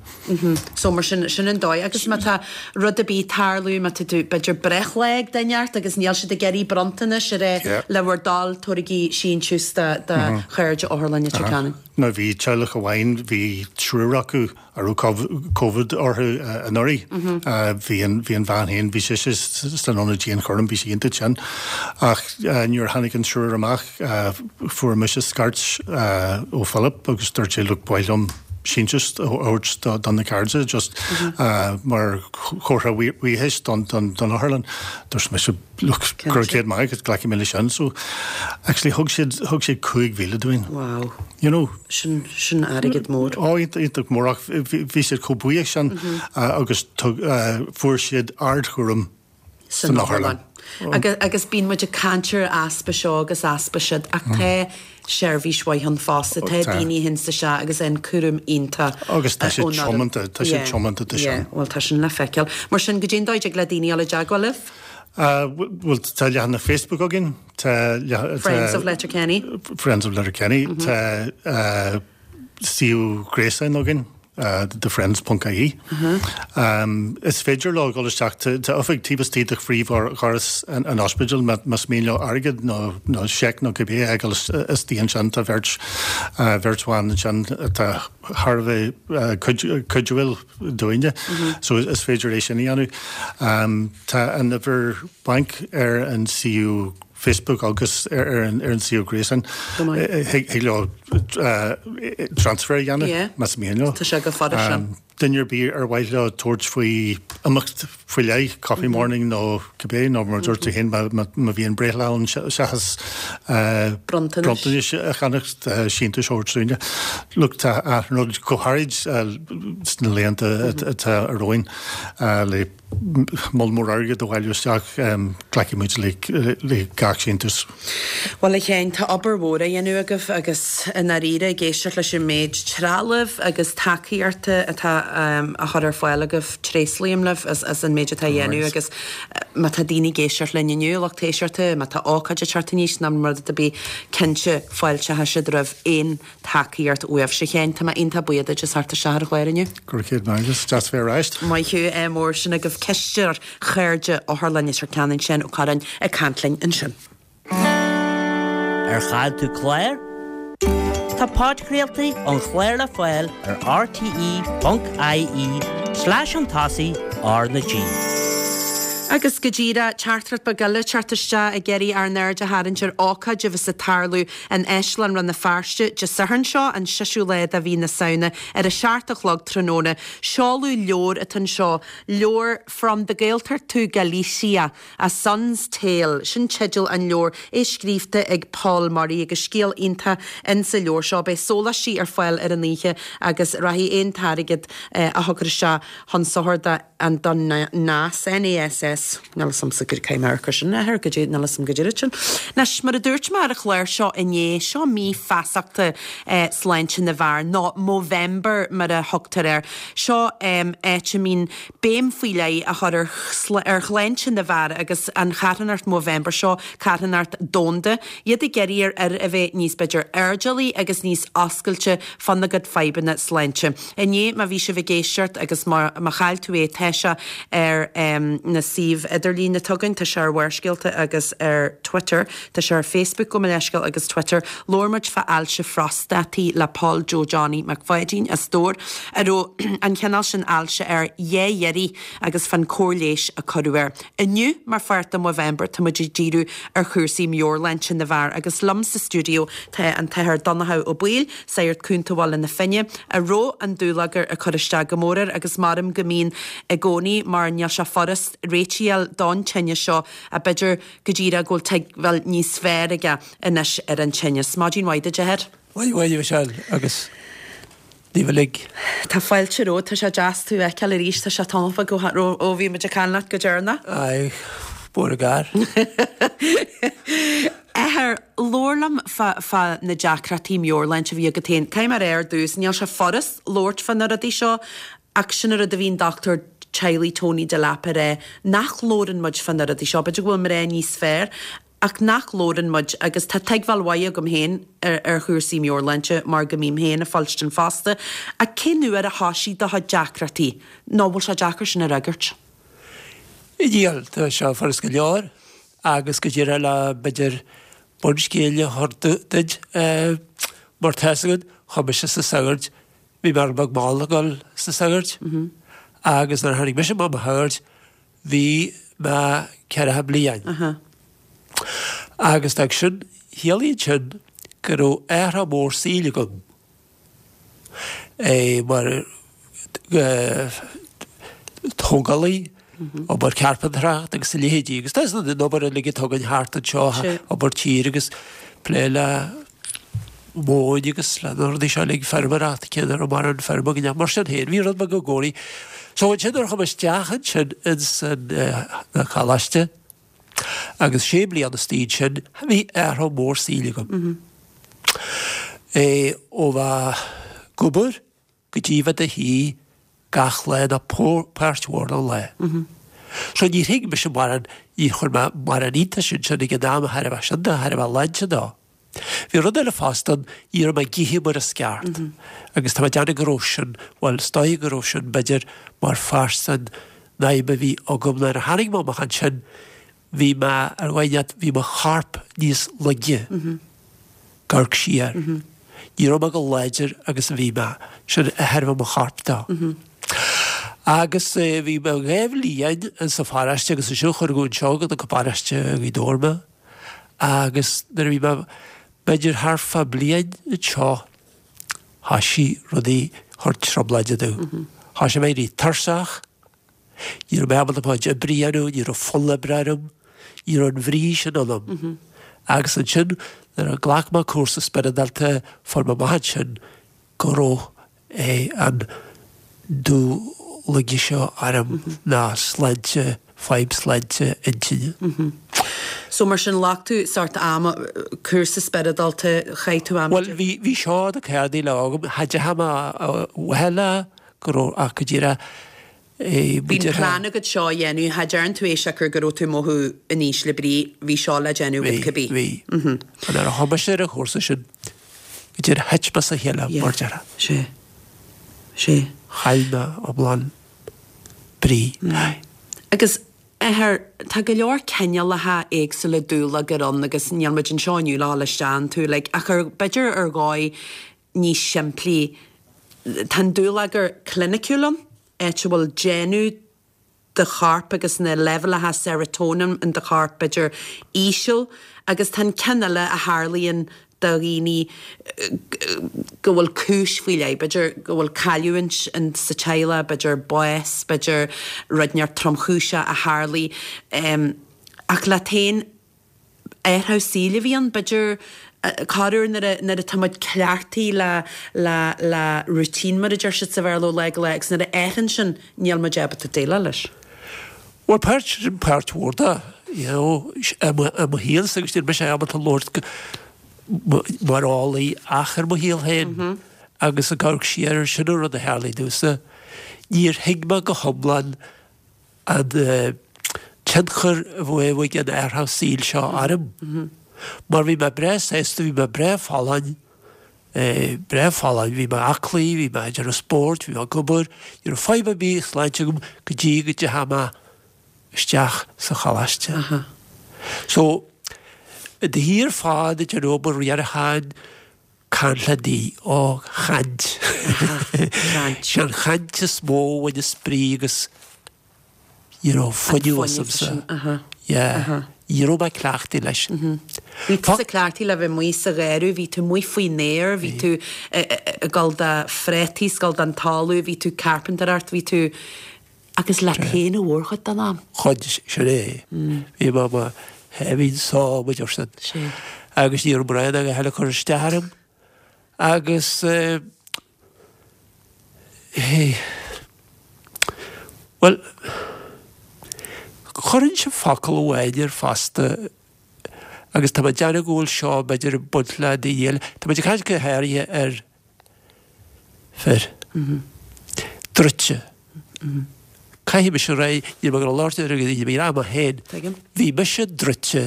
So mar sin, sin an dóigh. Agus má tá rud ar bith ag tarlú, má tá tú, b'fhéidir breithlá ag duine ort agus níl siad ag iarraidh bronntanais ar é le bhur dtoil, tabhairigí síntiús do do chairde Otharlann Leitir Ceanainn. Nó bhí teaghlach amháin, bhí triúr acu a raibh Covid orthu anuraidh. Bhí an bhí an bhean féin, bhí sise san ionad dianchúraim, bhí sí iontach tinn. Ach nuair a tháinig an triúr amach, fuair mise scairt ó Philip agus dúirt sé, look, ba mhaith liom síntiús a thabhairt do na cairde just mar chomhartha buíochais don otharlann. Dúirt mise, look, go raibh céad maith agat, glacfaidh mé leis sin. So, actually thug siad, thug siad 5,000 dúinn. Wow. You know. Sin, sin airgead mór. Ó, iontach mór ach bhí siad chomh buíoch sin agus fuair siad ardchúram san otharlann. Agus bíonn muid ag caint ar easpa seo agus easpa siúd ach tá seirbhís mhaith ann fosta, tá daoine a théanns isteach agus an cúram iontach Agus tá siad tiomanta, tá siad tiomanta do sin. Yeah, bhuel tá sin le feiceáil. Mar sin, goidé an dóigh a dtig le daoine dul i dteagmháil libh? Bhuel tá leathanach Facebook againn, tá Friends of Letterkenny. Friends of Letterkenny, tá suíomh gréasáin againn. thefriends ponc ie. Is féidir leo dul isteach, tá oifig taobh istigh de phríomhdhoras an ospidéil más mian leo airgead nó seic nó cibé a fhágáil istigh ansin. Tá beirt, bheirt bhan ansin atá thar a bheith cuidiúil dúinne so is féidir é sin a dhéanamh. Tá an uimhir bainc ar an suíomh Facebook agus ar an suíomh gréasáin. Thig leo transfer a dhéanamh más mian leo. Tá sé go fada sin. Duine ar bith ar mhaith leo tabhairt faoi imeacht faoi leith, coffee morning nó cibé, nó mar a dúirt tú féin má bhíonn breithlá ann seachas bronntanais a cheannach, síntiús a thabhairt dúinne. Look, tá achan rud go háirid sna laethanta atá romhainn le moll mór airgid a bhailiú isteach, glacfaidh muid le gach síntiús. Bhuel, a Sheáin, tá obair mhór á dhéanamh agaibh agus i ndáiríre, ag éisteacht leis an méid trealaimh agus tacaíochta atá á chur ar fáil agaibh, tréaslaím libh as an méid atá á dhéanamh agus má tá daoine ag éisteacht linn inniu, lucht éisteachta, má tá ócáid ag teacht aníos nó rud ar bith, cinnte fáilteoidh siad roimh aon tacaíocht uaibhse. A Sheáin, tá mé iontach buíoch duit as theacht isteach ar an chlár inniu. Go raibh céad maith agat. Deas bheith ar ais. Maith thú, ádh mór. Sin agaibh cisteoir Chairde Otharlann Leitir Ceanainn, Seán Ó Curráin, ag caint linn ansin. Ar chaill tú clár? Tá podchraoltaí an chláir le fáil ar rte.ie slash chun tosaigh R na G. Agus go díreach, teachtaireacht beag eile ag teacht isteach ag iarraidh ár n-aird a tharraingt ar ócáid a bheas ag tarlú in Áislann Rann na Feirste Dé Sathairn seo, an seisiú lá de mhí na Samhna, ar a 7 a chlog tráthnóna. Seoladh leabhair atá anseo, leabhar From the Gaeltacht to Galicia, A Son's Tale, sin teideal an leabhair, é scríobhta ag Paul Murray agus scéal iontach insa leabhar seo. Beidh sóláistí ar fáil ar an oíche agus rachaidh aon t-airgead a thiocfar isteach chun sochair do an don NASS, N-A-S-S, níl 'fhios a'msa go caithfidh mé amharc ar sin, athair, go dtí, níl 'fhios a'm go deireadh sin. Anois, mar a dúirt mé ar an chlár seo inné, seo mí feasachta sláinte na bhfear, nó Movember mar a thugtar air. Seo áit a mbíonn béim faoi leith á chur ar ar shláinte na bhfear agus an charthanacht Movember seo, carthanacht domhanda, iad ag iarraidh ar fhir a bheith níos, b'fhéidir, airdeallaí agus níos oscailte fána gcuid fadhbanna sláinte. Inné, má bhí sibh ag éisteacht agus má má chaill tú é, tá sé ar na suímh idirlín atá againn, tá sé ar Bharrscéalta agus ar Twitter, tá sé ar Facebook, gabh mo leithscéal, agus Twitter. Labhair muid fá ailse phrostataí le Paul Joe Johnny Mac Pháidín as Dobhar, a raibh an cineál sin ailse air dhá iarraidh agus fán cóir leighis a cuireadh air. Inniu, mar pháirt de Movember, tá muid ag díriú ar chúrsaí meabhairshláinte na bhfear agus liom sa stiúideo tá an tAthair Donnchadh Ó Baoill, Sagart Cúnta Bhaile na Finne, a raibh an dúlagar ag cur isteach go mór air agus maram go mbíonn i gcónaí mar níl sé furast réitigh a fháil don tinneas seo ach b'fhéidir go díreach go bhfuil tuigbheáil níos fearr aige anois ar an tinneas. Maidin mhaith duit, a Athair. Maidin mhaith, a Mhichelle, agus. Daoibh uilig. Tá fáilte romhat, tá sé deas tú a fheiceáil arís, tá sé tamall beag ó bhí muid ag caint leat go deireanach. Aye, mór an gar. Athair, labhair liom fá, fá na deacrachtaí meabhairshláinte a bhí agat féin. Caithfidh mé a rá ar dtús, níl sé furast labhairt fá na rudaí seo ach sin an rud a bhí an dochtúir teaghlaigh Tony Delap a rá, nach labhrann muid fá na rudaí seo, b'fhéidir go bhfuil mná níos fearr ach nach labhrann muid agus tá tuigbheáil mhaith agam féin ar chúrsaí meabhairshláinte mar go mbím féin ag fuilstin fosta, ach cén uair a thoisigh do chuid deacrachtaí? Nó bhfuil sé deacair sin a fhreagairt? Níl, tá sé furast go leor agus go díreach le b'fhéidir bunscéal a thabhairt duit mar tá fhios agat, chuaigh mise sna sagairt, bhí mé rud beag mall ag dul sna sagairt agus nuair a tháinig mise amach mo shagart, Bhí mé ceathracha bliain. Agus d'fhág sin, chiallaíonn sin go raibh athrach mór saoil agam mar tógálaí, obair cearpantracht agus a leithéidí. Agus tá an obair uilig atá againn thart anseo, obair tíre agus plé le móin agus le na rudaí seo uilig, feirmeoireacht, cé nach raibh mórán feirme againn ach mar sin féin, bhí rud beag i gcónaí. So ansin nuair a chuaigh mé isteach ansin ins an choláiste agus sé bliana istigh ansin, bhí athrú mór saoil agam. É ó bheith ag obair go dtí bheith i do shuí gach lá nó páirt mhór den lá. So níor thuig mise mórán, níor chuir mé mórán iontais ansin ag an am de thairbhe sin de thairbhe sláinte dó. Bhí rud eile fosta ann, ní raibh mé ag ithe mar is ceart. Agus tá mé ag déanamh go raibh sin, bhuel is dóigh go raibh sin b'fhéidir mar pháirt den fhadhb a bhí agam nuair a tháinig mé amach ansin, bhí mé ar dhóigh inteacht, bhí mo chorp níos laige. Ag amharc siar. Ní raibh mé chomh láidir agus a bhí mé. Sin de thairbhe mo chorp dó. Agus bhí mé dhá bhliain insa pharóiste agus ansin cuireadh anseo go dtí paróiste Ghaoth Dobhair mé. Agus nuair a bhí mé b'fhéidir thart fá bliain anseo thoisigh rudaí ag cur trioblóide domh. Thoisigh mé ag éirí tuirseach. Ní raibh mé ábalta mo chuid oibre a dhéanamh, ní raibh fonn oibre orm, ní raibh an bhrí sin ionam. Agus ansin nuair a ghlac mé cúrsa spioradálta fuair mé amach ansin go raibh an dúlaige seo orm ná sláinte, fadhb sláinte intinne. So mar sin ghlac tú sórt ama, cúrsa spioradálta, chaith tú am. Bhuel bhí, bhí seo na céadaí le agam, cha dteachaigh mé a le go raibh ach go díreach é Bhí an plean agat seo a dhéanamh, cha dtearn tú é siocair go raibh tú ag mothú in ísle brí, bhí seo le déanamh agat cibé. Bhí, bhí. Nuair a chuaigh mise ar an chúrsa sin, go díreach thit mé as a chéile, mar déarfá. Sea. Sea. Chaill mé iomlán brí. Agus, Athair, tá go leor cineálacha éagsúla dúlagar ann agus níl muid anseo inniu le dhul isteach iontu uilig, ach ar, b'fhéidir ar dhóigh níos simplí, tá an dúlagar cliniciúil ann, áit a bhfuil déanamh do chorp agus na leibhéalacha serotonin in do chorp, b'fhéidir, íseal, agus tá an ceann eile a tharlaíonn do dhaoine go bhfuil cúis faoi leith, b'fhéidir go bhfuil cailliúint sa teaghlach, b'fhéidir bás, b'fhéidir rud inteacht tromchúiseach a tharlaigh. Ach leat féin, athrú saoil a bhí ann, b'fhéidir, corruair nuair a, nuair atá muid cleachtaithe le, le, le routine mar a deir siad sa Bhéarla ó lá go lá agus nuair a athraíonn sin níl muid ábalta déileáil leis. Bhuel páirt, sin páirt mhór de, you know, i mo, i mo shaolsa agus níl mise ábalta labhairt mar eolaí ach ar mo shaol féin agus ag amharc siar ar sin an rud a tharlaigh domhsa, níor thuig mé go hiomlán an tionchar a bheadh ag an athrú saoil seo orm. Mar bhí mé breá sásta, bhí mé breá folláin, breá folláin, bhí mé aclaí, bhí mé ag déanamh spóirt, bhí mé ag obair, ní raibh fadhb ar bith sláinte agam go dtí go dteachaigh mé isteach sa choláiste. So, i do shuí ar fad ag déanamh obair riaracháin, Caint le Dia, ó, chaint. Sé an chaint is mó a bhain an spraoi agus you know fuinneamh asamsa. Yeah. Ní raibh mé cleachtaithe leis. Bhí tusa cleachtaithe le bheith amuigh sa gharradh, bhí tú amuigh faoin aer, bhí tú ag dul do phréataí, 's ag dul don talamh, bhí tú carpentaireacht, bhí tú Agus leat féin an mhórchuid den am. Chuid, sin é. Bhí mé i mo sháimhín só, mar a deir siad. Sea. Agus ní raibh mórán a dhath eile ag cur isteach orm. Agus. Hé. Bhuel, chuirfinnse focal amháin air fosta agus tá mé ag déanamh go bhfuil seo b'fhéidir ag baint le daoine eile, tá muid ag caint go háirithe ar fir. Druidte. Caithfidh mise a rá, níl mé ag labhairt ar dhaoine, mé ag rá mé féin. Bhí mise druidte.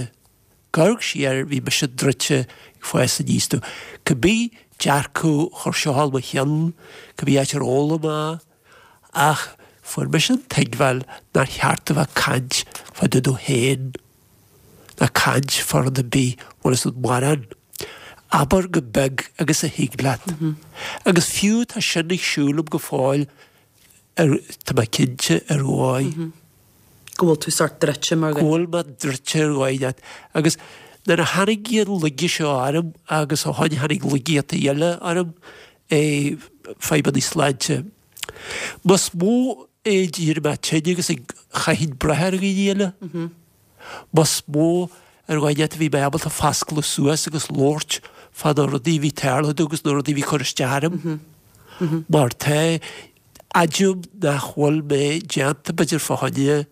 Ag amharc siar, bhí mise druidte ag fás aníos domh. Cibé dearcadh a chuir seo thall mo cheann, cibé áit ar fhoghlaim mé, ach fuair mise an tuigbheáil nár cheart a bheith ag caint fá dtaobh domh féin, ná caint fá rud ar bith, bhfuil fhios agat, mórán. Abair chomh beag agus a thig leat. Agus fiú tá sin ag siúl liom go fóill, ar, tá mé cinnte, ar dhóigh. Go bhfuil tú sórt druidte mar Go bhfuil mé druidte ar dhóigh leat. Agus nuair a tháinig an laige seo orm agus ó shoin tháinig laigíochtaí eile orm, eh, fadhbanna sláinte. Más mó é d'éirigh mé tinn agus ag chaithfinn brath ar dhaoine eile, más mó ar dhóigh leat a bhí mé ábalta foscladh suas agus labhairt fá na rudaí a bhí ag tarlú domh agus na rudaí a bhí ag cur isteach orm. Mar tá, Admhaím nach bhfuil mé déanta b'fhéidir fá choinne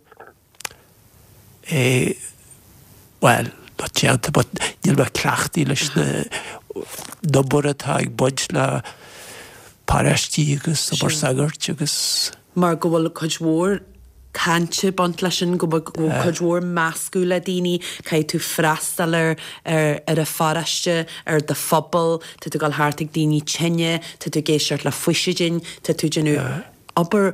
é, bhuel, not déanta but níl mé cleachtaithe leis na n-obair atá ag baint le paráistí agus obair sagairt agus. Mar go bhfuil cuid mhór cainte ag baint leis sin, go bhfuil cuid mhór meascadh le daoine, caithfidh tú freastal ar ar an pharáiste, ar do phobal, tá tú ag dul thart ag daoine tinne, tá tú ag éisteacht le faoisidin, tá tú ag déanamh obair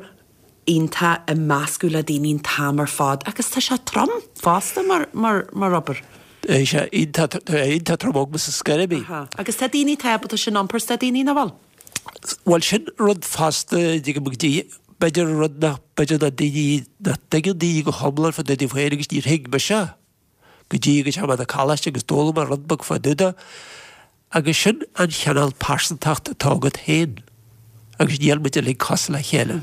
iontach ag meascadh le daoine an t-am ar fad agus tá sé trom fosta mar mar mar obair. Tá sé iontach iontach trom agamsa scor ar bith. Agus tá daoine atá ábalta sin a iompar is tá daoine nach bhfuil. Bhuel sin rud fosta, dtuigim go dtí, b'fhéidir rud nach, b'fhéidir nach daoine, nach dtuigeann daoine go hiomlán fá dtaobh díobh féin agus níor thuig mise go dtí go dteachaigh mé 'na coláiste agus d'fhoghlaim mé rud beag fá dtaobh de agus sin an chineál pearsantacht atá agat féin agus níl muid uilig cosúil le chéile.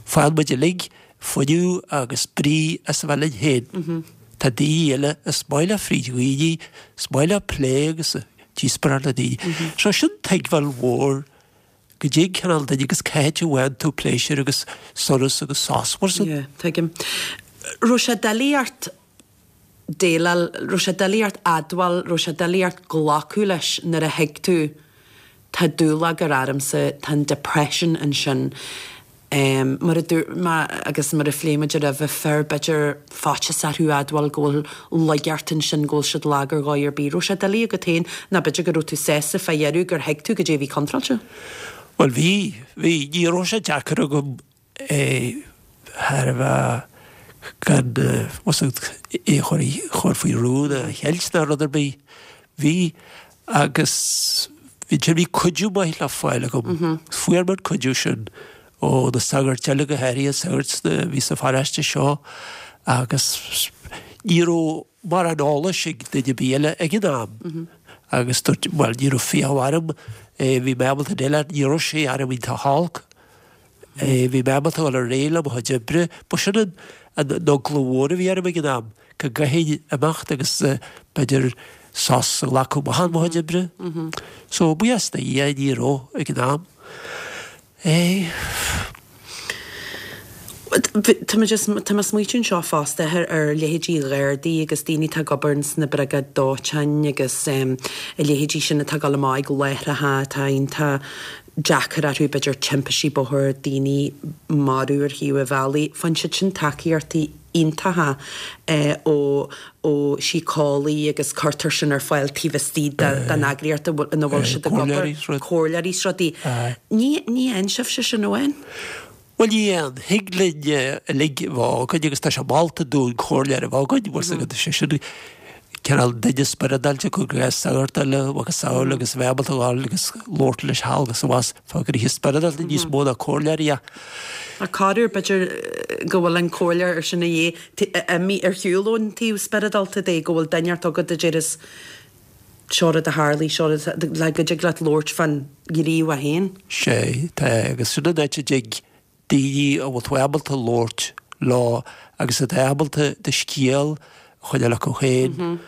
Faigheann muid uilig fuinneamh agus brí as a bheith linn féin. Tá daoine eile is maith leo fríd dhaoine, is maith leo plé agus díospóireacht le daoine. So sin tuigbheáil mhór goidé an cineál duine agus cá háit a bhfaigheann tú pléisiúr agus sonas agus sos mar sin. Yeah, tuigim. Raibh sé doiligh ort déileáil, raibh sé doiligh ort admháil, raibh sé doiligh ort glacadh leis nuair a thuig tú tá dúlagar ormsa, tá an depression ansin. Mar a dúirt mé agus mar a phléigh muid roimhe, fir, b'fhéidir faitíos orthu admháil go bhfuil laigeacht ansin, go bhfuil siad lag ar dhóigh ar bith. Raibh sé doiligh agat féin nó b'fhéidir go raibh tú sásta fá dheireadh gur thuig tú goidé a bhí contráilte? Bhuel bhí, bhí. Ní raibh sé deacair agam é thar a bheith gan é a chur faoi rún a cheilt ná rud ar bith. Bhí agus bhí ansin, bhí cuidiú maith le fáil agam. Fuair mé an cuidiú sin ó na sagairt eile, go háirithe sagart a bhí sa pharáiste seo agus ní raibh mórán eolais ag duine ar bith eile ag an am agus dúirt, bhuel ní raibh fiach orm, bhí mé ábalta déileáil, ní raibh sé orm iontach holc. Bhí mé ábalta dul ar aghaidh le mo chuid oibre. Ba sin an eagla mhór a bhí orm ag an am, go gcaithfinn imeacht agus b'fhéidir sos a ghlacadh amach ó mo chuid oibre. So, buíochas do Dhia, ní raibh ag an am. Tá mé just, tá mé ag smaoitiú anseo fosta ar ar leithéidí Ghardaí agus daoine atá ag obair ins na briogáid dóiteáin agus a leithéidí sin atá ag dul amach ag láithreacha atá iontach deacair orthu, b'fhéidir timpistí bóthair, daoine marbh ar thaobh an bhealaigh. Faigheann siad sin tacaíochtaí iontacha ó ó shíceolaí agus cuirtear sin ar fáil taobh istigh den eagraíocht ina bhfuil siad ag obair, comhairleoirí is rudaí. Ní ní fhaigheann sibhse sin amháin. Bhuel ní fhaigheann. Thig linn uilig a bheith againn agus tá sé molta dúinn comhairleoir a bheith againn, bhfuil 's agat, sé sin cineál duine spioradálta cuir i gcás sagart eile macasamhail agus a bheith ábalta a ghabháil agus labhairt leis thall agus abhus fá ghnéithe spioradálta níos mó ná comhairleoir a. Ach corruair b'fhéidir go bhfuil an comhairleoir sin a dhíth imithe ar shiúl ón taobh spioradálta de, go bhfuil duine inteacht agat a déarfas seo rud a tharlaigh, seo rud le go dtig leat labhairt fán ghníomh féin. Sea, tá, agus sin an áit a dtig daoine a bhfuil tú ábalta labhairt leo agus atá ábalta do scéal a choinneáil acu féin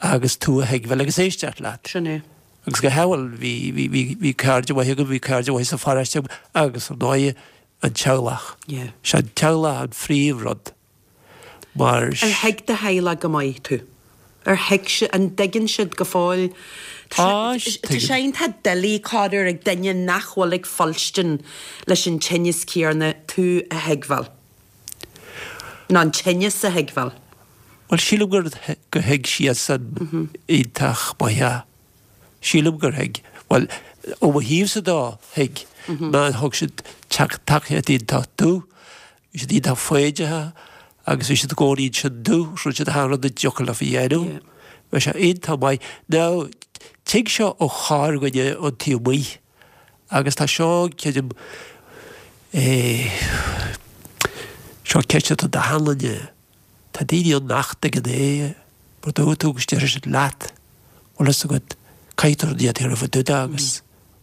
agus tú a thuigbheáil agus éisteacht leat. Sin é. Agus go háirithe, bhí, bhí, bhí, bhí cairde mhaithe agam, bhí cairde mhaithe sa pharóiste agam agus ar ndóigh an teaghlach. Yeah. Sé an teaghlach an phríomhrud mar. Ar thuig do theaghlach go maith tú? Ar thuig siad, an dtuigeann siad go fóill? Tá, Tá sé tuigeann. iontach doiligh corruair ag duine nach bhfuil ag fuilstin leis an tinneas céanna tú a thuigbheáil. Nó an tinneas a thuigbheáil. Bhuel, sílim gur, gur thuig siadsan iontach maith é. Sílim gur thuig. Bhuel, ó mo thaobhsa de, thuig. Mar thug siad tacaíocht iontach domh. Bhí siad iontach foighdeach agus bhí siad i gcónaí ansin domh. Rinne siad achan rud a dtiocfadh leofa a dhéanamh. Bhí sé iontach maith. Now, tig seo ó chorrdhuine ón taobh amuigh. Agus tá seo, creidim, eh, seo ceist atá d'achan duine. Tá daoine ann nach dtuigeann é, mar dúirt tú agus déarfaidh siad leat, bhfuil fhios agat, caithfidh tú rud a dhéanamh fá dtaobh de agus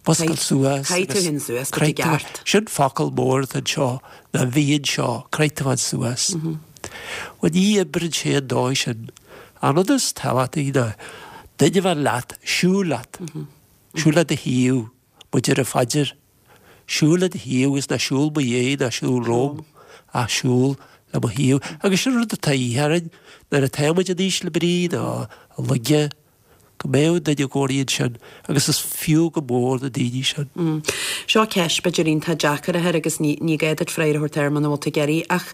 muscail suas Caithfidh tú féin suas, go dtí gceart. Sin focal mór atá anseo, ná bhí anseo, caithfidh tú féin suas. Bhuel ní oibreann sé an dóigh sin. An rud is tábhachtaí ná duine a bheith leat, siúl leat. Siúl le do thaobh, mar a deir an phaidir. Siúl le do thaobh agus ná siúl mo dhiaidh ná siúl romham, ach siúl le mo thaobh. Agus sin rud atá de dhíth orainn nuair atá muid in ísle brí nó i laige, go mbeadh duine i gcónaí ansin agus is fiú go mór na daoine sin. Seo ceist b'fhéidir iontach deacair a chur agus ní gá duit freagra a thabhairt air muna bhfuil tú ag iarraidh ach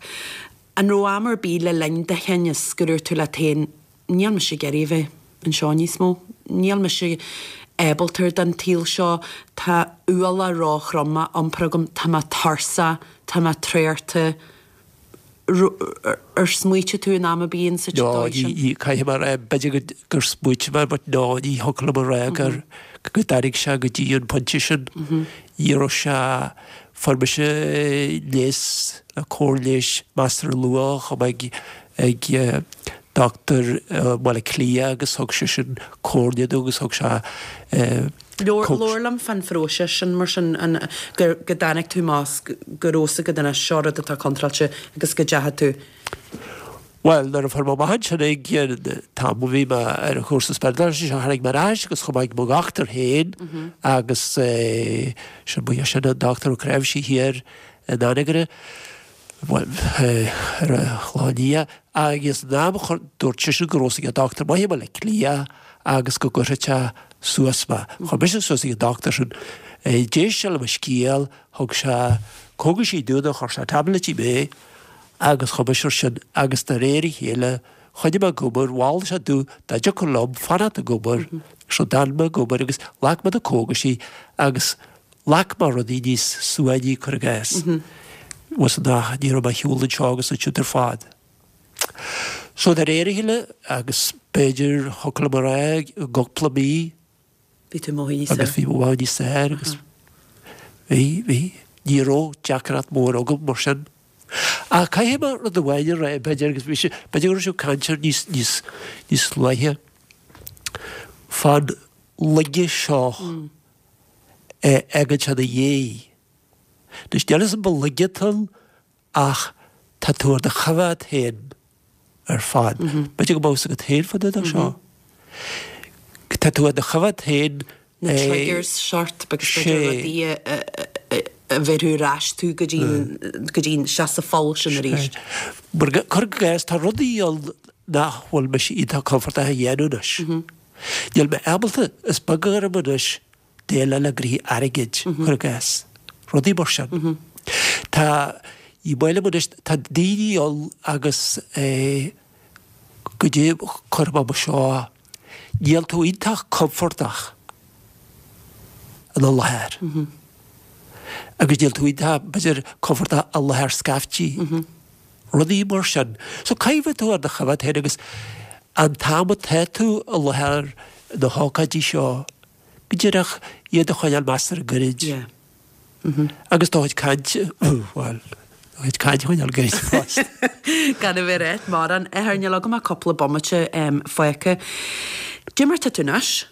an raibh am ar bith le linn do thinnis go ndúirt tú leat féin Níl mise ag iarraidh a bheith anseo níos mó. Níl mise ábalta don tsaol seo. Tá ualach róthrom á iompar agam. Tá mé tuirseach. Tá mé traochta. Ar smaoitigh tú in am ar bith insa No, dóigh sin? ní, caithfidh mé a rá, b'fhéidir gur smaoitigh mé, but no, ní thiocfadh liom a rá gur, go dtáinig sé go dtí an pointe sin. Ní raibh sé, fuair mise leigheas, cóir leighis measartha luath, chomh maith ag dochtúir i mBaile Átha Cliath agus thug sé sin comhairle domh agus thug sé Labhair liom fán phróiseas sin mar sin, an, go dtáinig tú amach go raibh fhios agat anois seo rud atá contráilte agus go dteachaigh tú. Bhuel, nuair a fuair mé amach ansin ag an t-am a bhí mé ar an chúrsa spioradálta seo, tháinig mé ar ais agus chuaigh mé ag mo dhochtúir féin agus sin ba é sin an Dochtúir Ó Cnáimhsí thiar in Anagaire. Bhuel, ar an Chlochán Liath, agus an am a dúirt seisean go raibh fhios ag dochtúir maith i mBaile Átha Cliath agus go gcuirfeadh sé suas mé. Chuir mise suas ag an dochtúir sin. D'éist sé le mo scéal, thug sé cógaisí domh nó chuir sé taibléidí mé agus chuaigh mise ar sin agus de réir a chéile choinnigh mé ag obair, mhol sé domh dá dtiocfadh liom fanacht ag obair, so d'fhan mé ag obair agus ghlac mé na cógaisí agus Ghlac mé rudaí níos suaimhní cuir i gcás. Was nach, ní raibh mé ag siúl anseo agus ansiúd ar fad. So de réir a chéile, agus b'fhéidir thiocfadh liom a rá i gcúpla mí, Bhí tú amuigh níos agus bhí mé amuigh níos fearr agus bhí, bhí, ní raibh deacracht mór agam mar sin. Ach caithfidh mé rud amháin a rá, b'fhéidir, agus bhí sé, b'fhéidir go raibh sibh ag caint air níos, níos, níos luaithe, fán laige seo. a fhágann sé ina dhiaidh. Anois, níl 'fhios a'm an laige atá ann ach tá tú ar do choimhéad féin ar fad. B'fhéidir go mbeadh 'fhios agat féin fá dtaobh de seo. Tá tú ar do choimhéad féin Na triggers sort agus b'fhéidir rudaí a bhéarfadh ar ais tú go dtí go dtí isteach sa pholl sin arís. Mar cuir i gcás, tá rudaí ann nach bhfuil mise iontach compordach a dhéanamh anois. Níl mé ábalta, is beag orm anois déileáil le gnoithí airgid, cuir i gcás. Rudaí mar sin. Tá, ní maith liom anois, tá daoine ann agus eh go dtí, cuirfidh mé mar seo, níl tú iontach compordach ina láthair. Agus níl tú iontach, b'fhéidir, compordach i láthair scaiftí. Rudaí mar sin. So caithfidh tú ar do choimhéad féin agus an t-am atá tú i láthair na hócáidí seo, go díreach iad a choinneáil measartha gairid. Yeah. Agus do chuid cainte, bhuel, do chuid cainte a choinneáil gairid fosta. Gan a bheith ag ráit mórán. A Athair, níl agam ach cúpla bomaite fágtha. Cad é mar tá tú anois?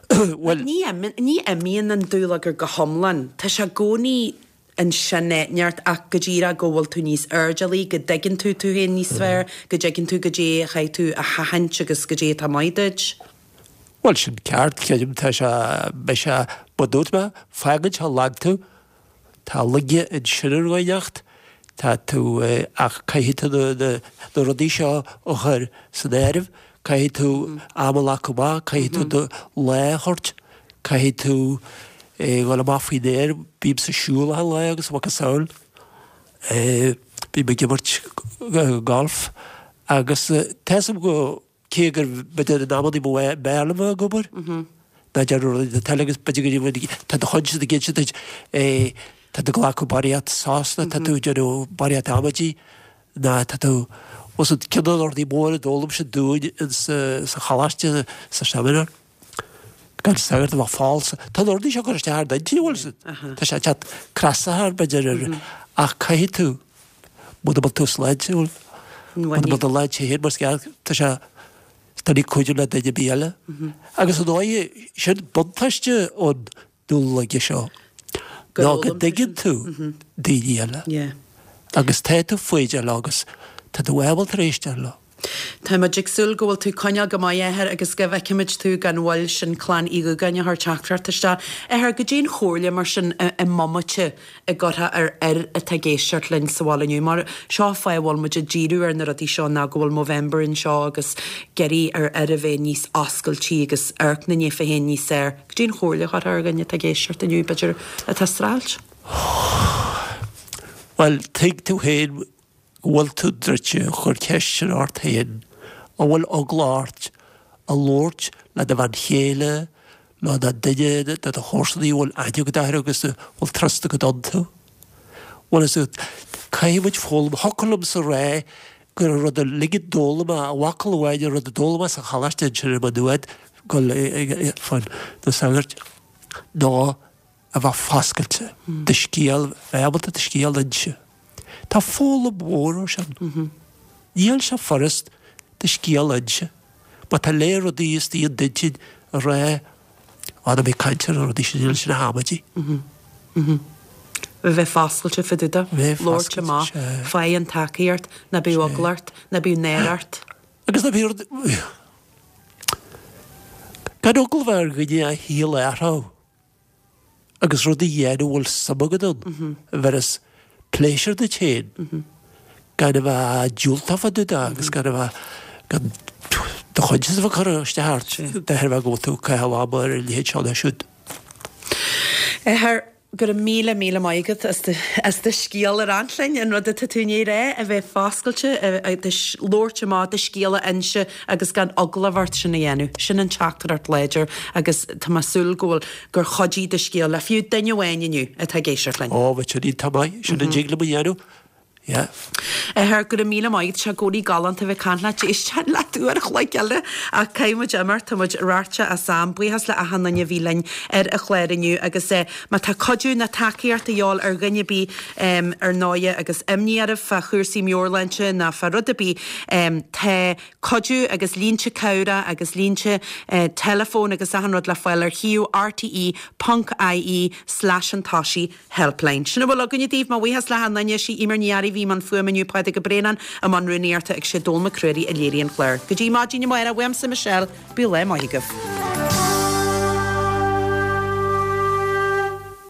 Bhuel. Ní ní imíonn an dúlagar go hiomlán. Tá sé i gcónaí ansin neart ach go díreach go bhfuil tú níos airdeallaí, go dtuigeann tú tú féin níos fearr, go dtuigeann tú goidé a chaithfidh tú a sheachaint agus goidé atá maith duit. Bhuel, sin ceart, creidim, tá sé, beidh sé, mar a dúirt mé, fágann sé lag tú, tá laige ansin ar dhaoineacht, tá tú, ach caithfidh tú na, na rudaí seo a chur san áireamh, caithfidh tú am a ghlacadh amach, caithfidh tú do lá a thabhairt, caithfidh tú dhul amach faoin aer, bímse ag siúl achan lá agus a mhacasamhail, bím ag imirt golf agus tá 'fhios a'm go. Cé gur b'fhéidir in amannaí ba bhfearr liom a bheith ag obair ná déanamh rudaí na teile agus b'fhéidir go bhfuil tá do choinsias ag inse duit tá tú ag glacadh barraíocht sos nó tá tú ag déanamh barraíocht amaidí ná tá tú bhfuil 'fhios a'd ceann de na rudaí móra a d'fhoghlaim siad dúinn sa choláiste sa seimineár gan sagart a bheith falsa. Tá na rudaí seo ag cur isteach ar d'intinn bhfuil 'fhios a'd. Tá sé ag teacht crasach b'fhéidir ar ach caithfidh tú Muna bhfuil tú sláintiúil, muna bhfuil do shláinte féin mar is ceart, tá sé doiligh cuidiú le duine ar bith eile. Agus ar ndóigh, sin buntáiste an dúlaige seo, ná go dtuigeann tú daoine eile. Agus tá tú foighdeach leo agus tá tú ábalta éisteacht leo. Tá muid ag súil go bhfuil tú ag coinneáil go maith, a Athair, agus go bhfeicfimid tú gan mhoill, sin Clann Uí Dhúgáin a chuir teachtaireacht isteach. Athair, goidé an chomhairle mar sin i mbomaite a gcuirfeá ar fhir atá ag éisteacht linn sa bhaile inniu? Mar seo an fáth a bhfuil muid ag díriú ar na rudaí seo ná go bhfuil Movember anseo agus ag iarraidh ar fhir a bheith níos oscailtí agus amharc 'na ndíofa féin níos fearr. Goidé an chomhairle a chuirfeá ar dhuine atá ag éisteacht inniu, b'fhéidir, atá ag streachailt? Bhuel, tuig tú féin go bhfuil tú druidte, cuir ceist sin ort féin, an bhfuil eagla ort a labhairt le do bhean chéile nó le duine de do chomharsanaí a bhfuil aithne agat orthu agus a bhfuil trust agat iontu? Bhuel, is caithfidh muid foghlaim, thiocfadh liomsa a rá gur an rud uilig a d'fhoghlaim mé, a mhacalla amháin an rud a d'fhoghlaim mé sa choláiste ansin i Maigh Nuad, dul fá na sagairt, ná a bheith foscailte, do scéal, bheith ábalta do scéal a inse. Tá foghlaim mhór ó sin. Níl sé furast do scéal a inse. Má tá léir rudaí istigh in d'intinn a rá, á ná bí ag caint ar na rudaí sin, níl sin ach amaidí. A bheith foscailte fá dtaobh de, labhairt amach, faigh an tacaíocht, ná bíodh eagla ort, ná bíodh náire ort. Agus ná bíodh rud, gan eagla a bheith ar dhuine a shaol a athrú. agus rud a dhéanamh a bhfuil suim agat ann, a bheireas pléisiúr duit féin, gan a bheith diúltach fá dtaobh de agus gan a bheith, gan do choinsias a bheith ag cur isteach ort de thairbhe go bhfuil tú ag caitheamh ama ar a leithéid seo nó siúd. Athair, go raibh míle, míle maith agat as do, as do scéal a roinnt linn, an rud atá tú i ndiaidh a rá, a bheith foscailte, a, do labhairt amach, do scéal a inse agus gan eagla a bheith ort sin a dhéanamh. Sin an teachtaireacht láidir agus tá mé ag súil go bhfuil, gur chuidigh do scéal le fiú duine amháin inniu atá ag éisteacht linn. Ó, bheadh sin iontach maith. Sin an dtig liom a dhéanamh. Yeah. Athair, go raibh míle maith agat. Tá sé i gcónaí galánta a bheith ag caint leat. D'éistfinn leat uair a chloig eile ach caithfidh muid imeacht. Tá muid rabharta as am. Buíochas le achan duine a bhí linn ar an chlár inniu agus má tá cuidiú ná tacaíocht a dhíobháil ar dhuine ar bith ar ndóighe agus imní oraibh fá chúrsaí meabhairshláinte ná fá rud ar bith tá Cuidiú agus línte cabhrach agus línte teileafóin agus achan rud le fáil ar shuíomh rte ponc ie slash an toisigh helpline. Sin a bhfuil againne daoibh, mo bhuíochas le hachan duine, sí Eimear Ní Fhearraigh a bhí i mbun fuaime inniu, Pádraig Ó Braonáin i mbun rúnaíochta agus sé Dónall Mac Ruairí a léirigh an clár. Go dtí maidin amárach, uaimse Michelle, bíodh lá maith agaibh.